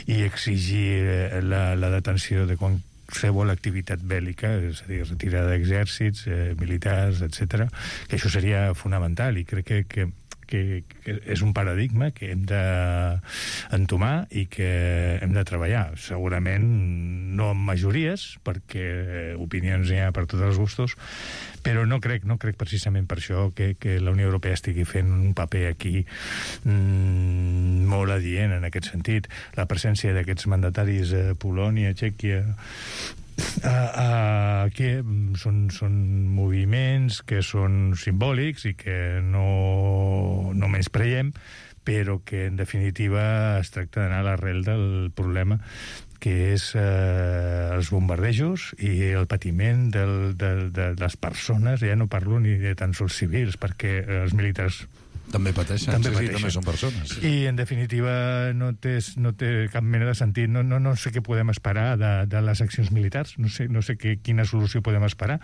i exigir la detenció de qualsevol activitat bèl·lica, és a dir, retirada d'exèrcits, militars, etc., que això seria fonamental, i crec que que és un paradigma que hem d'entomar i que hem de treballar. Segurament no amb majories, perquè opinions hi ha per tots els gustos, però no crec precisament per això que la Unió Europea estigui fent un paper aquí molt adient en aquest sentit. La presència d'aquests mandataris a Polònia, Txèquia, que són moviments que són simbòlics i que no menyspreiem, però que en definitiva es tracta d'anar a l'arrel del problema, que és els bombardejos i el patiment de les persones. Ja no parlo ni de tan sols civils, perquè els militars també pateixen, també són persones. I, en definitiva, no té cap mena de sentit. No sé què podem esperar de les accions militars, no sé quina solució podem esperar,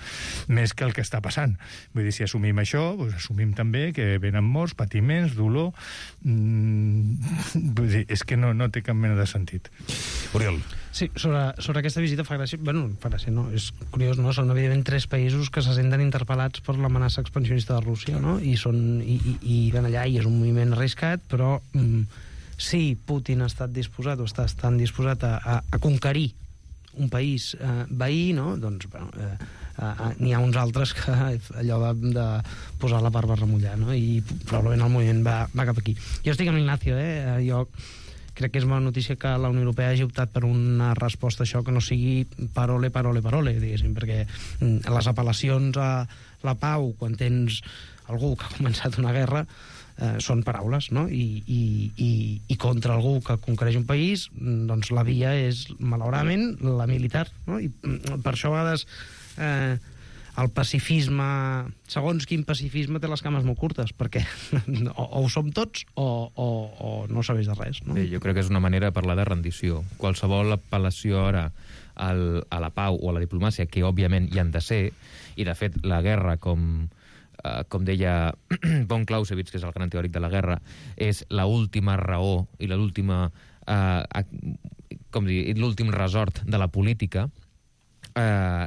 més que el que està passant. Vull dir, si assumim això, doncs assumim també que venen morts, patiments, dolor... Vull dir, és que no té cap mena de sentit. Oriol. Sí, sobre aquesta visita fa gràcia... Bueno, fa gràcia, no? És curiós, no? Són, evidentment, 3 països que se senten interpel·lats per l'amenaça expansionista de Rússia, no? I van allà i és un moviment arriscat, però si Putin ha estat disposat o està estant disposat a conquerir un país veí, no? Doncs, bueno, n'hi ha uns altres que allò de posar la barba a remullar, no? I probablement el moviment va cap aquí. Jo estic amb l'Ignacio, jo crec que és bona notícia que la Unió Europea hagi optat per una resposta a això que no sigui parole, diguéssim, perquè les apel·lacions a la pau, quan tens algú que ha començat una guerra, són paraules, no? I contra algú que conquereix un país, doncs la via és, malauradament, la militar, no? I per això a vegades el pacifisme, segons quin pacifisme, té les cames molt curtes, perquè o ho som tots o no sabeix de res, no? Bé, jo crec que és una manera de parlar de rendició. Qualsevol apel·lació ara a la pau o a la diplomàcia, que òbviament hi han de ser, i de fet la guerra, com deia von Clausewitz, que és el gran teòric de la guerra, és l'última raó i l'últim resort de la política.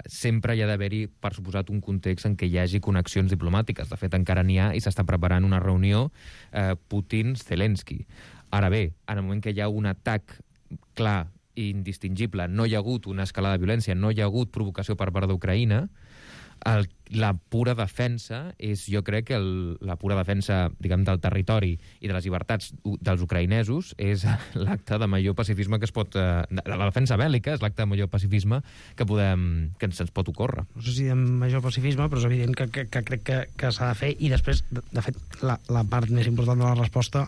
Sempre hi ha d'haver-hi, per suposat, un context en què hi hagi connexions diplomàtiques. De fet, encara n'hi ha i s'està preparant una reunió Putin-Zelensky. Ara bé, en el moment que hi ha un atac clar i indistingible, no hi ha hagut una escalada de violència, no hi ha hagut provocació per part d'Ucraïna, la pura defensa és, jo crec que la pura defensa, diguem, del territori i de les llibertats dels ucraïnesos és l'acte de major pacifisme que es pot... La defensa bèl·lica és l'acte de major pacifisme que se'ns pot ocórrer. No sé si de major pacifisme, però és evident que crec que s'ha de fer, i després, de fet, la part més important de la resposta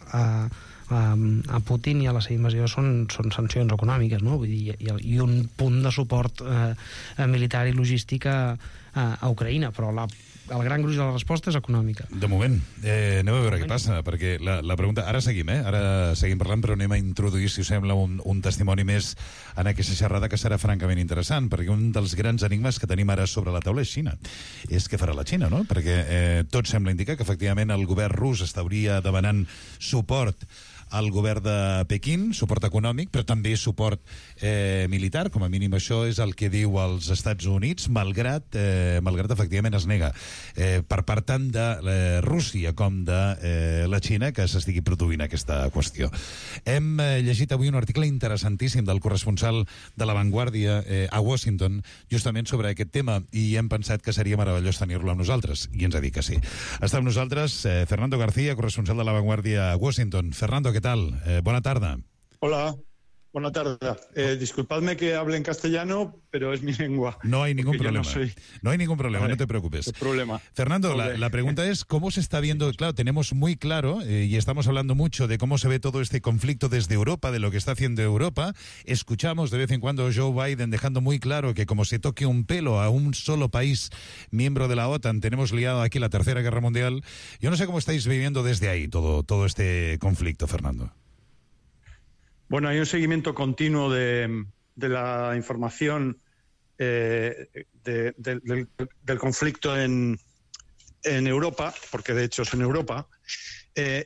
a Putin i a la seva invasió són sancions econòmiques, no? Vull dir, i un punt de suport militar i logístic a Ucraïna, però el gran gruix de la resposta és econòmica. De moment, anem a veure què passa, perquè la pregunta... Ara seguim parlant, però anem a introduir, si us sembla, un testimoni més en aquesta xerrada que serà francament interessant, perquè un dels grans enigmes que tenim ara sobre la taula és Xina. És què farà la Xina, no? Perquè tot sembla indicar que, efectivament, el govern rus estaria demanant suport al govern de Pequín, suport econòmic, però també suport militar, com a mínim això és el que diu els Estats Units, malgrat efectivament es nega per part tant de Rússia com de la Xina que s'estigui produint aquesta qüestió. Hem llegit avui un article interessantíssim del corresponsal de La Vanguardia a Washington, justament sobre aquest tema, i hem pensat que seria meravellós tenir-lo amb nosaltres, i ens ha dit que sí. Està amb nosaltres Fernando García, corresponsal de La Vanguardia a Washington. Fernando, ¿qué tal? Buena tarde. Hola, buena tarde. Disculpadme que hable en castellano, pero es mi lengua. No hay ningún problema. No hay ningún problema, no te preocupes. No hay problema. Fernando, la pregunta es, ¿cómo se está viendo? Claro, tenemos muy claro, y estamos hablando mucho de cómo se ve todo este conflicto desde Europa, de lo que está haciendo Europa. Escuchamos de vez en cuando a Joe Biden dejando muy claro que como se toque un pelo a un solo país miembro de la OTAN, tenemos liado aquí la Tercera Guerra Mundial. Yo no sé cómo estáis viviendo desde ahí todo este conflicto, Fernando. Bueno, hay un seguimiento continuo de la información del conflicto en Europa, porque de hecho es en Europa,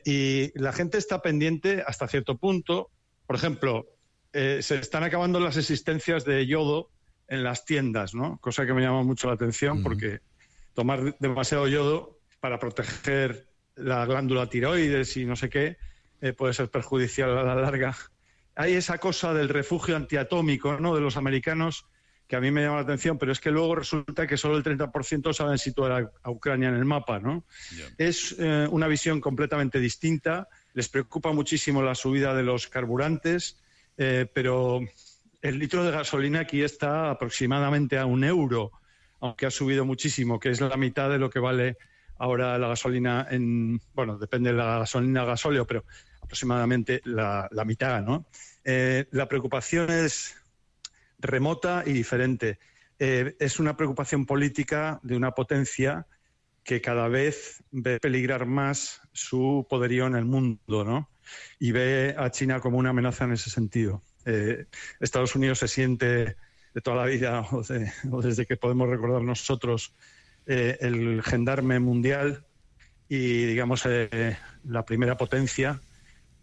y la gente está pendiente hasta cierto punto. Por ejemplo, se están acabando las existencias de yodo en las tiendas, ¿no? Cosa que me llama mucho la atención, porque tomar demasiado yodo para proteger la glándula tiroides y no sé qué, puede ser perjudicial a la larga. Hay esa cosa del refugio antiatómico, ¿no?, de los americanos, que a mí me llama la atención, pero es que luego resulta que solo el 30% saben situar a Ucrania en el mapa, ¿no? Yeah. Es una visión completamente distinta. Les preocupa muchísimo la subida de los carburantes, pero el litro de gasolina aquí está aproximadamente a €1, aunque ha subido muchísimo, que es la mitad de lo que vale ahora la gasolina bueno, depende de la gasolina o gasóleo, pero aproximadamente la mitad, ¿no? La preocupación es remota y diferente. Es una preocupación política de una potencia que cada vez ve peligrar más su poderío en el mundo, ¿no? Y ve a China como una amenaza en ese sentido. Estados Unidos se siente de toda la vida, o desde que podemos recordar nosotros, el gendarme mundial y, digamos, la primera potencia.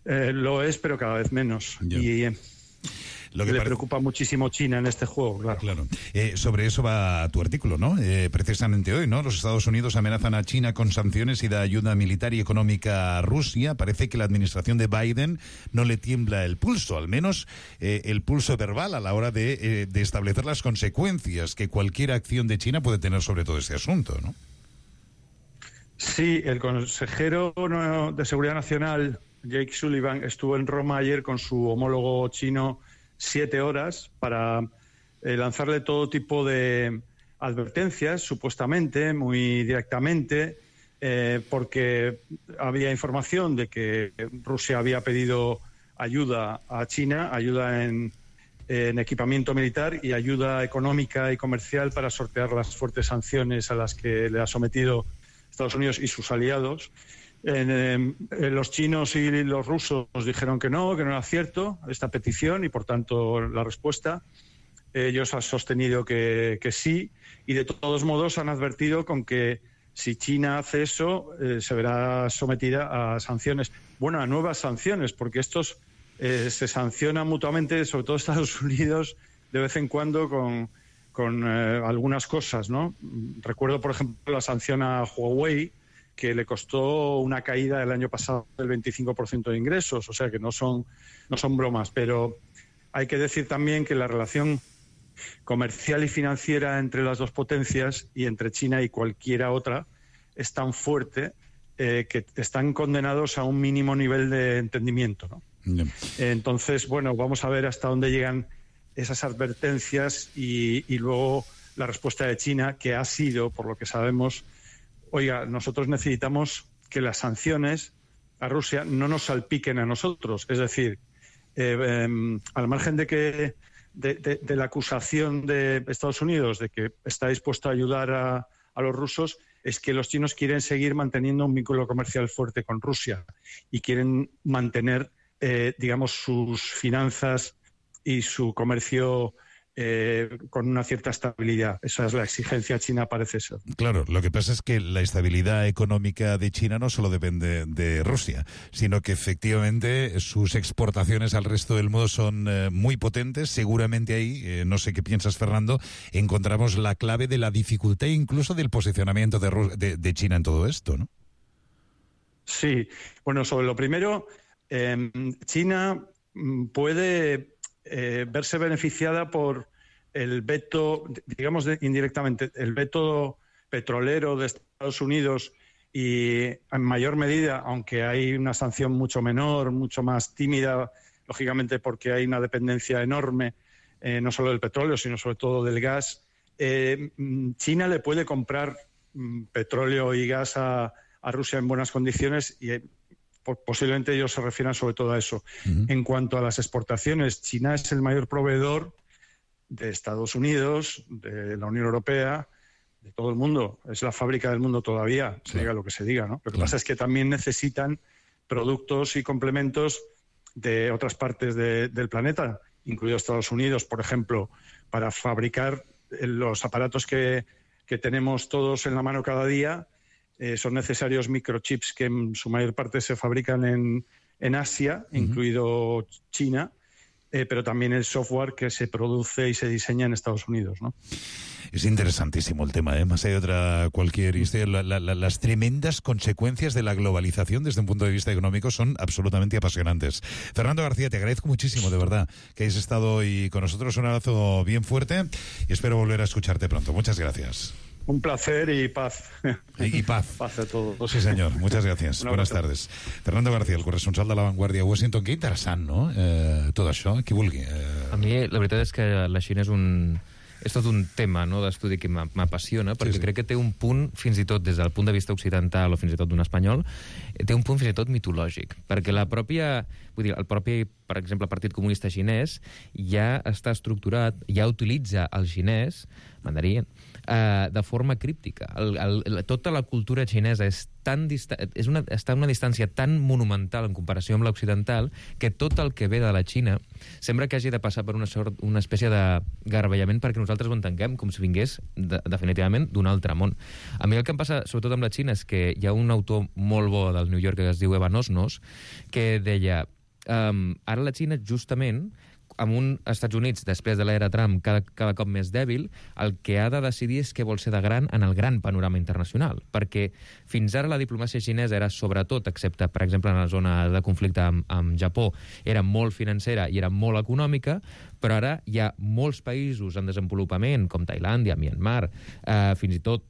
Lo es, pero cada vez menos. Yeah. Y le preocupa muchísimo China en este juego, claro. Claro. Sobre eso va tu artículo, ¿no? Precisamente hoy, ¿no? Los Estados Unidos amenazan a China con sanciones y da ayuda militar y económica a Rusia. Parece que la administración de Biden no le tiembla el pulso, al menos el pulso verbal a la hora de establecer las consecuencias que cualquier acción de China puede tener sobre todo este asunto, ¿no? Sí, el consejero de Seguridad Nacional, Jake Sullivan, estuvo en Roma ayer con su homólogo chino 7 horas para lanzarle todo tipo de advertencias, supuestamente, muy directamente, porque había información de que Rusia había pedido ayuda a China, ayuda en equipamiento militar y ayuda económica y comercial para sortear las fuertes sanciones a las que le ha sometido Estados Unidos y sus aliados. Los chinos y los rusos dijeron que no era cierto esta petición y, por tanto, la respuesta. Ellos han sostenido que sí, y de todos modos han advertido con que si China hace eso, se verá sometida a sanciones. Bueno, a nuevas sanciones, porque estos se sancionan mutuamente, sobre todo Estados Unidos, de vez en cuando con algunas cosas, ¿no? Recuerdo, por ejemplo, la sanción a Huawei, que le costó una caída el año pasado del 25% de ingresos, o sea que no son bromas, pero hay que decir también que la relación comercial y financiera entre las dos potencias y entre China y cualquiera otra es tan fuerte que están condenados a un mínimo nivel de entendimiento, ¿no? Yeah. Entonces, bueno, vamos a ver hasta dónde llegan esas advertencias y luego la respuesta de China, que ha sido, por lo que sabemos, oiga, nosotros necesitamos que las sanciones a Rusia no nos salpiquen a nosotros. Es decir, al margen de la acusación de Estados Unidos de que está dispuesto a ayudar a los rusos, es que los chinos quieren seguir manteniendo un vínculo comercial fuerte con Rusia y quieren mantener, digamos, sus finanzas y su comercio con una cierta estabilidad. Esa es la exigencia china, parece ser. Claro, lo que pasa es que la estabilidad económica de China no solo depende de Rusia, sino que efectivamente sus exportaciones al resto del mundo son muy potentes. Seguramente ahí, no sé qué piensas, Fernando, encontramos la clave de la dificultad incluso del posicionamiento de China en todo esto, ¿no? Sí, bueno, sobre lo primero, China puede verse beneficiada por el veto, digamos indirectamente, el veto petrolero de Estados Unidos y en mayor medida, aunque hay una sanción mucho menor, mucho más tímida, lógicamente porque hay una dependencia enorme, no solo del petróleo, sino sobre todo del gas. China le puede comprar petróleo y gas a Rusia en buenas condiciones y posiblemente ellos se refieran sobre todo a eso. Uh-huh. En cuanto a las exportaciones, China es el mayor proveedor de Estados Unidos, de la Unión Europea, de todo el mundo. Es la fábrica del mundo todavía, se diga lo que se diga, ¿no? Lo que pasa es que también necesitan productos y complementos de otras partes del planeta, incluido Estados Unidos, por ejemplo, para fabricar los aparatos que tenemos todos en la mano cada día. Son necesarios microchips que en su mayor parte se fabrican en Asia, uh-huh, incluido China, pero también el software que se produce y se diseña en Estados Unidos, ¿no? Es interesantísimo el tema, ¿eh? Más allá de otra cualquier historia, las tremendas consecuencias de la globalización desde un punto de vista económico son absolutamente apasionantes. Fernando García, te agradezco muchísimo, de verdad, que hayas estado hoy con nosotros. Un abrazo bien fuerte y espero volver a escucharte pronto. Muchas gracias. Un placer y paz. Y paz. Paz a todos. Sí, señor. Muchas gracias. Buenas tardes. Fernando García, el corresponsal de La Vanguardia a Washington. Que interessant, no? Tot això, qui vulgui. A mi, la veritat és que la Xina és tot un tema, no?, d'estudi que m'apassiona, perquè crec que té un punt, fins i tot des del punt de vista occidental o fins i tot d'un espanyol, té un punt fins i tot mitològic, perquè la pròpia, vull dir, el propi, per exemple, Partit Comunista Xinès ja està estructurat, ja utilitza el xinès, mandarí, de forma críptica. Tota la cultura xinesa està a una distància tan monumental en comparació amb l'occidental que tot el que ve de la Xina sembla que hagi de passar per una espècie de garbellament perquè nosaltres ho entenguem com si vingués definitivament d'un altre món. A mi el que em passa, sobretot amb la Xina, és que hi ha un autor molt bo del New York que es diu Evan Osnos que deia ara la Xina justament amb un Estats Units, després de l'era Trump, cada cop més dèbil, el que ha de decidir és què vol ser de gran en el gran panorama internacional. Perquè fins ara la diplomàcia xinesa era sobretot, excepte, per exemple, en la zona de conflicte amb Japó, era molt financera i era molt econòmica, però ara hi ha molts països en desenvolupament, com Tailàndia, Myanmar, fins i tot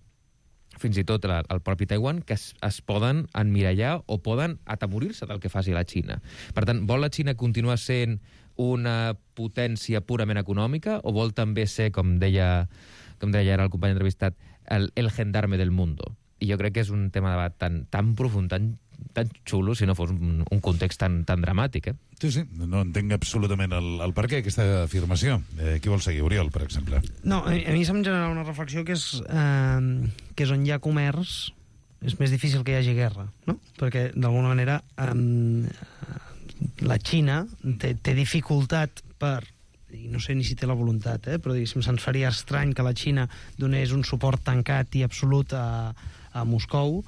el propi Taiwan, que es poden emmirallar o poden atemorir-se del que faci la Xina. Per tant, vol la Xina continuar sent una potència purament econòmica o vol també ser, com deia ara el company entrevistat, el gendarme del mundo? I jo crec que és un tema de debat tan profund, tan xulo, si no fos un context tan dramàtic. Sí, no entenc absolutament el per què aquesta afirmació. Qui vol seguir? Oriol, per exemple. No, a mi se'm genera una reflexió que és on hi ha comerç és més difícil que hi hagi guerra, no? Perquè, d'alguna manera, la Xina té dificultat per, i no sé ni si té la voluntat, però diguéssim, se'ns faria estrany que la Xina donés un suport tancat i absolut a Moscou,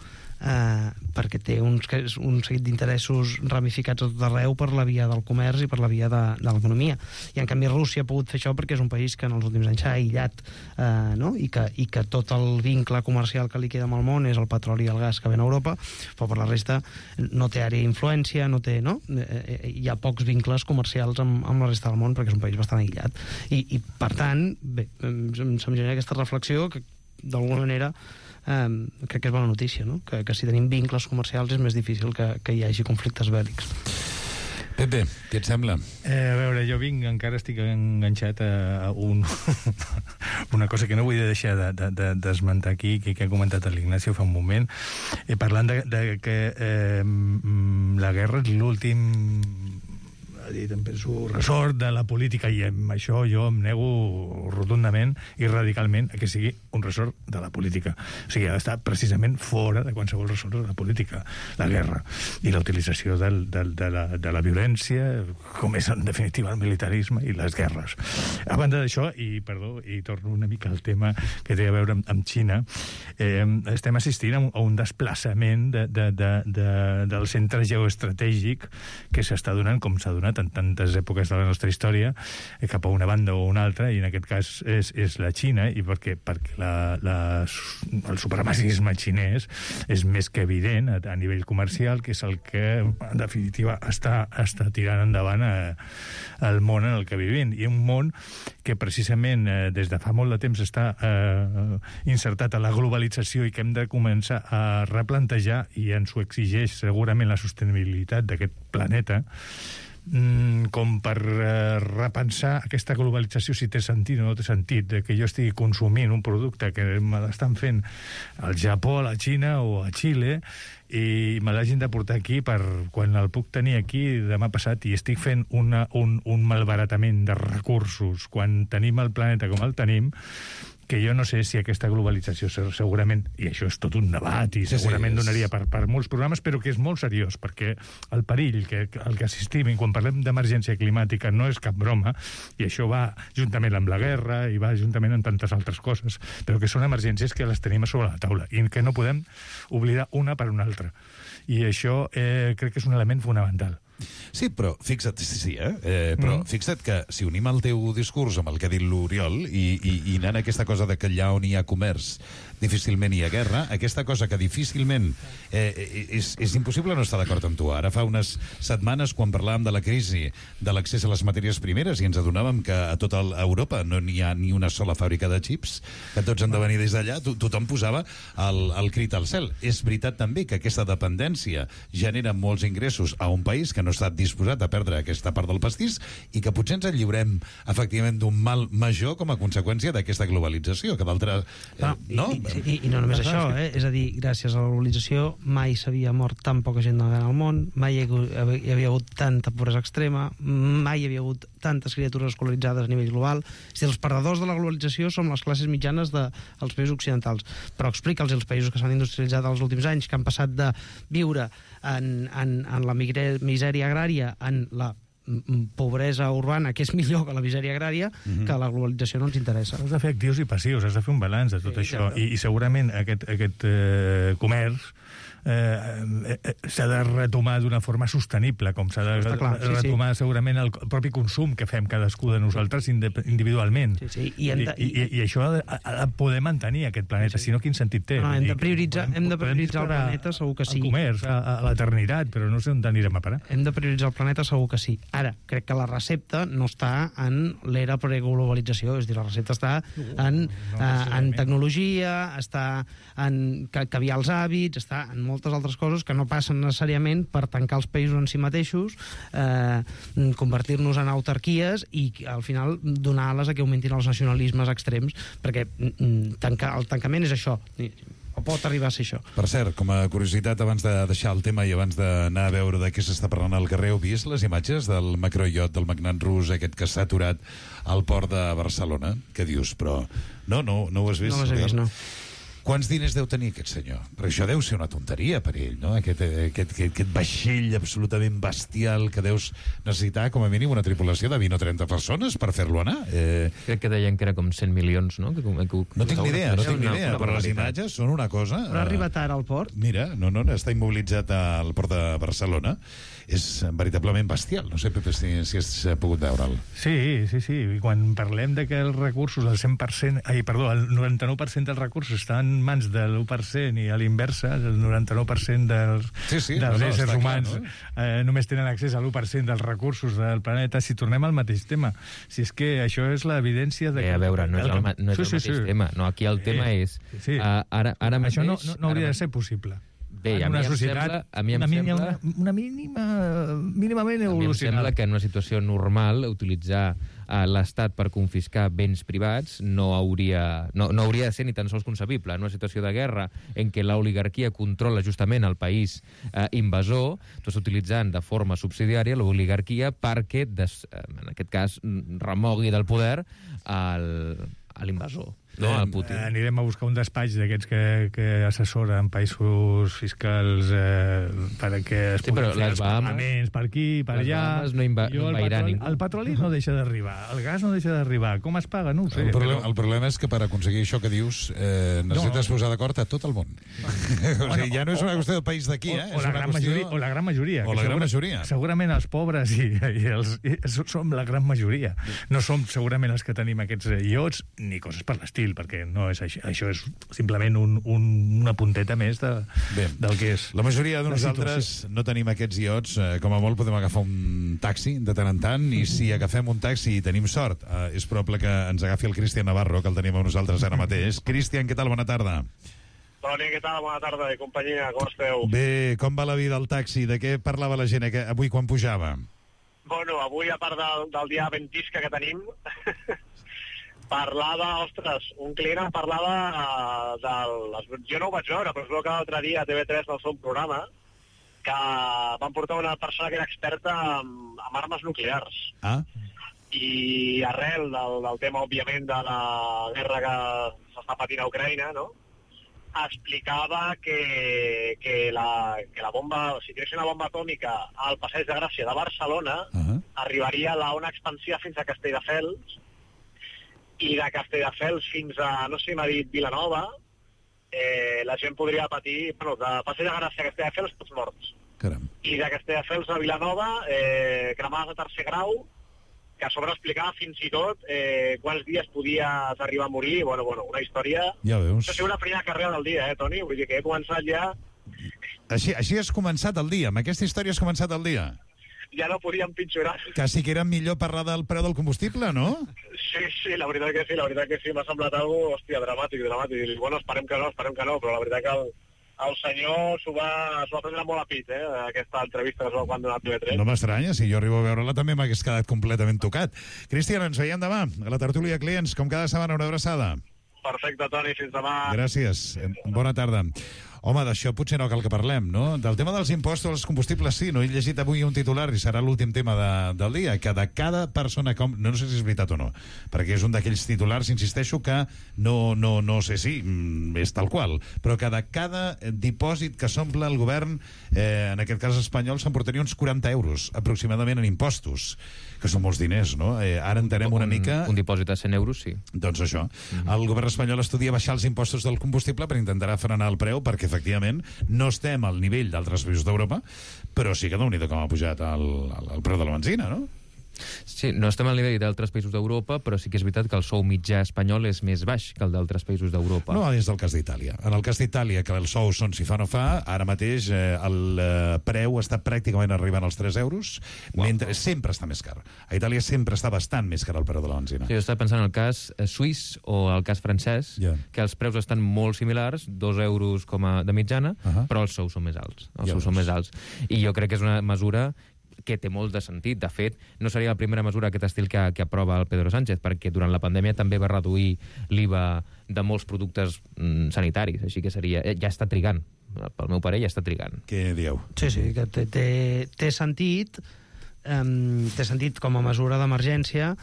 perquè té un seguit d'interessos ramificats a tot arreu per la via del comerç i per la via de l'economia. I en canvi Rússia ha pogut fer això perquè és un país que en els últims anys s'ha aïllat, no? I que tot el vincle comercial que li queda amb el món és el petroli i el gas que ven a Europa, però per la resta no té àrea d'influència, no? Hi ha pocs vincles comercials amb la resta del món perquè és un país bastant aïllat. I per tant, bé, se'm genera aquesta reflexió que d'alguna manera crec que és bona notícia, no? Que si tenim vincles comercials és més difícil que hi hagi conflictes bèl·lics. Pepe, què et sembla? A veure, jo encara estic enganxat a una cosa que no vull deixar d'esmentar aquí, que ha comentat l'Ignacio fa un moment, parlant de que la guerra és l'últim, ha dit, em penso, ressort de la política, i amb això jo em nego rotundament i radicalment a que sigui un ressort de la política. O sigui, ha d'estar precisament fora de qualsevol ressort de la política, la guerra i la utilització de la violència, com és en definitiva el militarisme i les guerres. A banda d'això, i torno una mica al tema que té a veure amb Xina, estem assistint a un desplaçament del centre geoestratègic que s'està donant, com s'ha donat en tantes èpoques de la nostra història, cap a una banda o una altra, i en aquest cas és la Xina, i perquè el supremacisme xinès és més que evident a nivell comercial, que és el que en definitiva està tirant endavant el món en el que vivim, i un món que precisament des de fa molt de temps està insertat a la globalització i que hem de començar a replantejar, i ens ho exigeix segurament la sostenibilitat d'aquest planeta, com per repensar aquesta globalització, si té sentit o no té sentit, que jo estigui consumint un producte que me l'estan fent al Japó, a la Xina o a Xile, i me l'hagin de portar aquí per quan el puc tenir aquí demà passat, i estic fent un malbaratament de recursos quan tenim el planeta com el tenim, que jo no sé si aquesta globalització segurament, i això és tot un debat i segurament donaria per molts programes, però que és molt seriós, perquè el perill al que assistim quan parlem d'emergència climàtica no és cap broma, i això va juntament amb la guerra i va juntament amb tantes altres coses, però que són emergències que les tenim a sobre la taula i que no podem oblidar una per una altra. I això crec que és un element fonamental. Sí, però fixa't, però fixa't que si unim el teu discurs amb el que ha dit l'Oriol i anant a aquesta cosa de que allà on hi ha comerç difícilment hi ha guerra, aquesta cosa que difícilment és impossible no estar d'acord amb tu. Ara fa unes setmanes, quan parlàvem de la crisi de l'accés a les matèries primeres i ens adonàvem que a tota Europa no n'hi ha ni una sola fàbrica de xips, que tots han de venir des d'allà, tothom posava el crit al cel. És veritat també que aquesta dependència genera molts ingressos a un país que no està disposat a perdre aquesta part del pastís i que potser ens lliurem efectivament d'un mal major com a conseqüència d'aquesta globalització, que d'altres... no? I no només això, és a dir, gràcies a la globalització mai s'havia mort tan poca gent al món, mai hi havia hagut tanta pobresa extrema, mai hi havia hagut tantes criatures escolaritzades a nivell global. És a dir, els perdedors de la globalització són les classes mitjanes dels països occidentals. Però explica'ls als països que s'han industrialitzat els últims anys, que han passat de viure en la misèria agrària, en la pobresa urbana, que és millor que la misèria agrària, que la globalització no ens interessa. Has de fer actius i passius, has de fer un balanç de tot això. I segurament aquest comerç s'ha de retomar d'una forma sostenible, com s'ha de retomar segurament el propi consum que fem cadascú de nosaltres individualment. I això ha de poder mantenir aquest planeta, si no quin sentit té? Hem de prioritzar el planeta, segur que sí. El comerç, a l'eternitat, però no sé on anirem a parar. Hem de prioritzar el planeta, segur que sí. Ara, crec que la recepta no està en l'era preglobalització, és a dir, la recepta està en tecnologia, està en canviar els hàbits, està en moltes altres coses que no passen necessàriament per tancar els països en si mateixos, convertir-nos en autarquies i al final donar ales a que augmentin els nacionalismes extrems, perquè el tancament és això, o pot arribar a ser això. Per cert, com a curiositat, abans de deixar el tema i abans d'anar a veure de què s'està parlant al carrer, heu vist les imatges del macroiot del magnat rus aquest que s'ha aturat al port de Barcelona? Què dius? Però no ho has vist? No les he vist, no. Quants diners deu tenir aquest senyor? Perquè això deu ser una tonteria per ell, no? Aquest vaixell absolutament bestial que deus necessitar com a mínim una tripulació de 20 o 30 persones per fer-lo anar. Crec que deien que era com 100 milions, no? No tinc ni idea, però les imatges són una cosa... Però ha arribat ara al port? Mira, no, està immobilitzat al port de Barcelona. És veritablement bestial. No sé, Pepe, si has pogut veure'l. Sí. I quan parlem de que els recursos, el 100%, el 99% dels recursos estan en mans de l'1% i a l'inversa, el 99% dels éssers humans només tenen accés a l'1% dels recursos del planeta. Si tornem al mateix tema, si és que això és l'evidència de... A veure, no és el mateix tema. No, aquí el tema és... Ara mateix... Això no hauria de ser possible. Bé, a mi em sembla mínimament evolucionada. A mi em sembla que en una situació normal utilitzar l'Estat per confiscar béns privats no hauria de ser ni tan sols concebible. En una situació de guerra en què l'oligarquia controla justament el país invasor, tu estàs utilitzant de forma subsidiària l'oligarquia perquè, en aquest cas, remogui del poder a l'invasor. No, a Putin. Anirem a buscar un despatx d'aquests que assessoren països fiscals perquè es puguin fer els pagaments per aquí, per allà. No envairà ningú. El petroli no deixa d'arribar, el gas no deixa d'arribar. Com es paga? No ho sé. El problema és que per aconseguir això que dius necessites posar d'acord a tot el món. O sigui, ja no és una qüestió del país d'aquí, O la gran majoria. O la gran majoria. Segurament els pobres som la gran majoria. No som segurament els que tenim aquests iots ni coses per l'estil, perquè no és així. Això és simplement una punteta més del que és. La majoria de nosaltres no tenim aquests iots. Com a molt podem agafar un taxi de tant en tant, i si agafem un taxi i tenim sort, és probable que ens agafi el Cristian Navarro, que el tenim amb nosaltres ara mateix. Cristian, què tal? Bona tarda. Toni, què tal? Bona tarda, i companyia, com esteu? Bé, com va la vida al taxi? De què parlava la gent avui quan pujava? Bueno, avui, a part del dia ventisca que tenim, parlava, ostres, un client em parlava jo no ho vaig veure, però es veu que l'altre dia a TV3 del seu programa que van portar una persona que era experta en armes nuclears. I arrel del tema, òbviament, de la guerra que s'està patint a Ucraïna, no?, explicava que la bomba, si tingués una bomba atòmica al Passeig de Gràcia de Barcelona, arribaria a l'ona expansiva fins a Castelldefels, i de Castelldefels fins a, no sé si m'ha dit, Vilanova, la gent podria patir, bueno, de Passeig de Gràcia a Castelldefels tots morts. Caram. I de Castelldefels a Vilanova, cremades de tercer grau, que a sobre explicava fins i tot quants dies podies arribar a morir. Bueno, una història... Ja veus. Això ha sigut la primera carrera del dia, Toni? Vull dir que he començat ja... Així has començat el dia, amb aquesta història has començat el dia. Ja no podíem pitjorar. Quasi que era millor parlar del preu del combustible, no? Sí, la veritat que sí, m'ha semblat algo, hòstia, dramàtic. I, bueno, esperem que no, però la veritat que el senyor s'ho va prendre molt a pit, aquesta entrevista que es va donar a TV3. No m'estranya, si jo arribo a veure-la també m'hagués quedat completament tocat. Cristian, ens veiem demà a la tertúlia Clients, com cada setmana, una abraçada. Perfecte, Toni, fins demà. Gràcies, bona tarda. Home, d'això potser no cal que parlem, no? Del tema dels impostos als combustibles, sí, no he llegit avui un titular i serà l'últim tema del dia, que de cada persona... No sé si és veritat o no, perquè és un d'aquells titulars, insisteixo, que no sé si és tal qual, però que de cada dipòsit que s'omple el govern, en aquest cas espanyol, s'emportaria uns 40 euros, aproximadament, en impostos, que són molts diners, no? Ara entenem una mica... Un dipòsit de 100 euros, sí. Doncs això. El govern espanyol estudia baixar els impostos del combustible per intentar frenar el preu, perquè efectivament no estem al nivell d'altres països d'Europa, però sí que déu-n'hi-do com ha pujat el preu de la benzina, no? Sí, no estem al nivell d'altres països d'Europa, però sí que és veritat que el sou mitjà espanyol és més baix que el d'altres països d'Europa. No, és el cas d'Itàlia. En el cas d'Itàlia, que els sous són si fa o no fa, ara mateix el preu està pràcticament arribant als 3 euros, mentre sempre està més car. A Itàlia sempre està bastant més car el preu de la benzina. Sí, jo estava pensant en el cas suís o el cas francès, que els preus estan molt similars, 2 euros com a de mitjana, però els sous són més alts. I jo crec que és una mesura que té molt de sentit. De fet, no seria la primera mesura aquest estil que aprova el Pedro Sánchez, perquè durant la pandèmia també va reduir l'IVA de molts productes sanitaris, així que seria... Ja està trigant, pel meu parer ja està trigant. Què dieu? Sí, que té sentit, té sentit com a mesura d'emergència.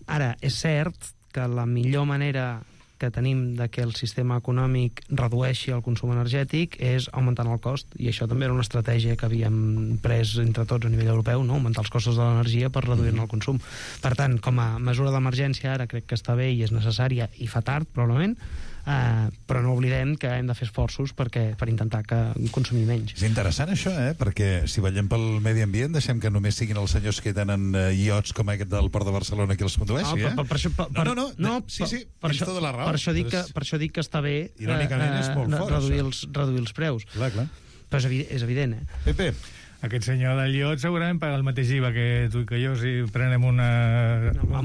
Ara, és cert que la millor manera que tenim de que el sistema econòmic redueixi el consum energètic és augmentant el cost, i això també era una estratègia que havíem pres entre tots a nivell europeu, no? Augmentar els costos de l'energia per reduir-ne el consum. Per tant, com a mesura d'emergència ara crec que està bé i és necessària, i fa tard probablement, però no oblidem que hem de fer esforços per intentar consumir menys. És interessant això, perquè si vetllem pel medi ambient deixem que només siguin els senyors que tenen iots com aquest del Port de Barcelona qui els condueixi, Sí, tens tota la raó. Per això dic que està bé irònicament és molt fort, reduir els preus. Clar. Però és evident, Pepe, aquest senyor del iot segurament paga el mateix IVA que tu i que jo si prenem un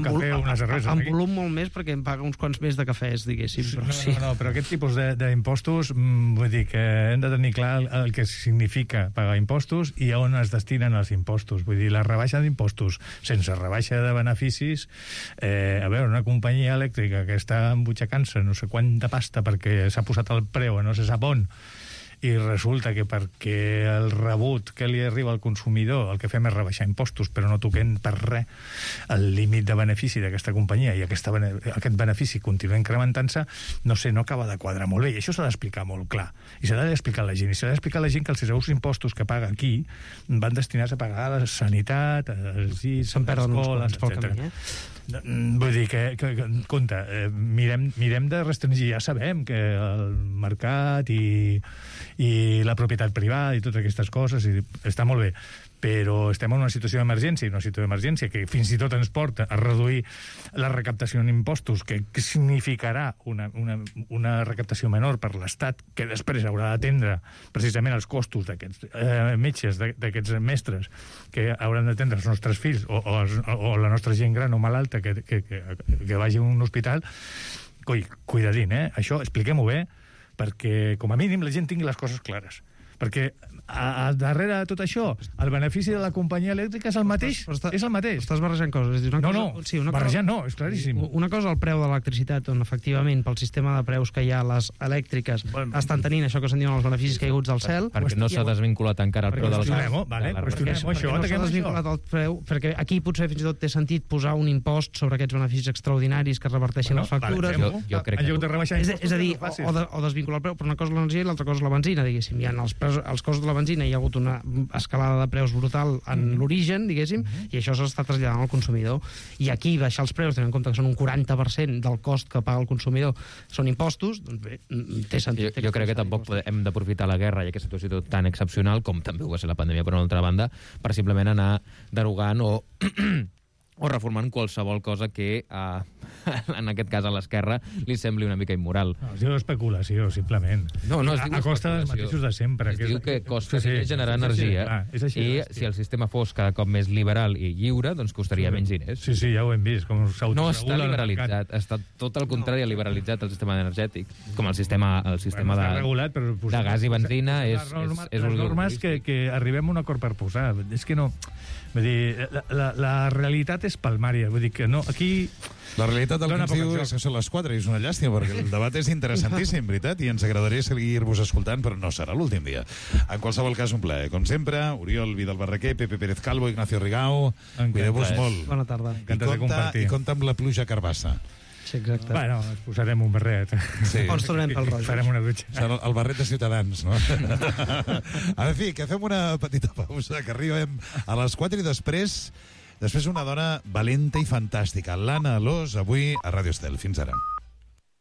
cafè o una cervesa. En volum molt més perquè em paga uns quants més de cafès, diguéssim. No, però aquest tipus d'impostos, vull dir que hem de tenir clar el que significa pagar impostos i a on es destinen els impostos. Vull dir, la rebaixa d'impostos sense rebaixa de beneficis, a veure, una companyia elèctrica que està embutxacant-se no sé quanta pasta perquè s'ha posat el preu a no se sap on, i resulta que perquè el rebut que li arriba al consumidor el que fem és rebaixar impostos però no toquem per res el límit de benefici d'aquesta companyia i aquest benefici continua incrementant-se, no acaba de quadrar molt bé, i això s'ha d'explicar molt clar i s'ha d'explicar a la gent, i s'ha d'explicar a la gent que els seus impostos que paga aquí van destinats a pagar la sanitat, els llits, les escoles, etc. Vull dir que compte, mirem de restringir, ja sabem que el mercat i la propietat privada i totes aquestes coses està molt bé, però estem en una situació d'emergència, que fins i tot ens porta a reduir la recaptació en impostos, que significarà una recaptació menor per l'Estat, que després haurà d'atendre precisament els costos d'aquests metges, d'aquests mestres, que hauran d'atendre els nostres fills o la nostra gent gran o malalta que vagi a un hospital. Cuidadín, això expliquem-ho bé, perquè com a mínim la gent tingui les coses clares, perquè darrere de tot això el benefici de la companyia elèctrica és el mateix. Estàs barrejant coses. Barrejant no, és claríssim. Una cosa el preu de l'electricitat, on efectivament pel sistema de preus que hi ha les elèctriques estan tenint això que se'n diuen els beneficis caiguts del cel, perquè no s'ha desvinculat encara el preu de perquè aquí potser fins i tot té sentit posar un impost sobre aquests beneficis extraordinaris que reverteixin les factures. Jo crec que és a dir, o desvincular el preu, però una cosa és l'energia i l'altra cosa és la benzina, diguéssim. Hi ha els costos de la benzina hi ha hagut una escalada de preus brutal en l'origen, diguéssim, i això s'està traslladant al consumidor. I aquí baixar els preus, tenint en compte que són un 40% del cost que paga el consumidor, són impostos, doncs bé, té sentit. Jo crec que tampoc hem d'aprofitar la guerra i aquesta situació tan excepcional, com també ho va ser la pandèmia per una altra banda, per simplement anar derogant o reformant qualsevol cosa que, en aquest cas a l'esquerra, li sembli una mica immoral. No, es diu especulació, simplement. No, es diu a costa dels mateixos de sempre. Es diu que costa generar energia, i si el sistema fos cada cop més liberal i lliure, doncs costaria menys diners. Sí, ja ho hem vist. Com no està liberalitzat, està tot el contrari liberalitzat el sistema energètic, com el sistema de gas i benzina és les normes que arribem a un acord per posar. És que no... Vull dir, la realitat és palmària. Vull dir que no, aquí... La realitat del que ens diu és que són les 4 i és una llàstima, perquè el debat és interessantíssim, veritat, i ens agradaria seguir-vos escoltant, però no serà l'últim dia. En qualsevol cas, un plaer. Com sempre, Oriol Vidal Barraquer, Pepe Pérez Calvo, Ignacio Rigau, cuideu-vos molt. Bona tarda. I compta amb la pluja carbassa. Sí, exacte. Bueno, ens posarem un barret. Sí. O ens tornem pel roig. Farem una dutxa. Serà el barret de Ciutadans, no? En fi, que fem una petita pausa, que arribem a les 4 i després una dona valenta i fantàstica, l'Anna Alòs, avui a Ràdio Estel. Fins ara.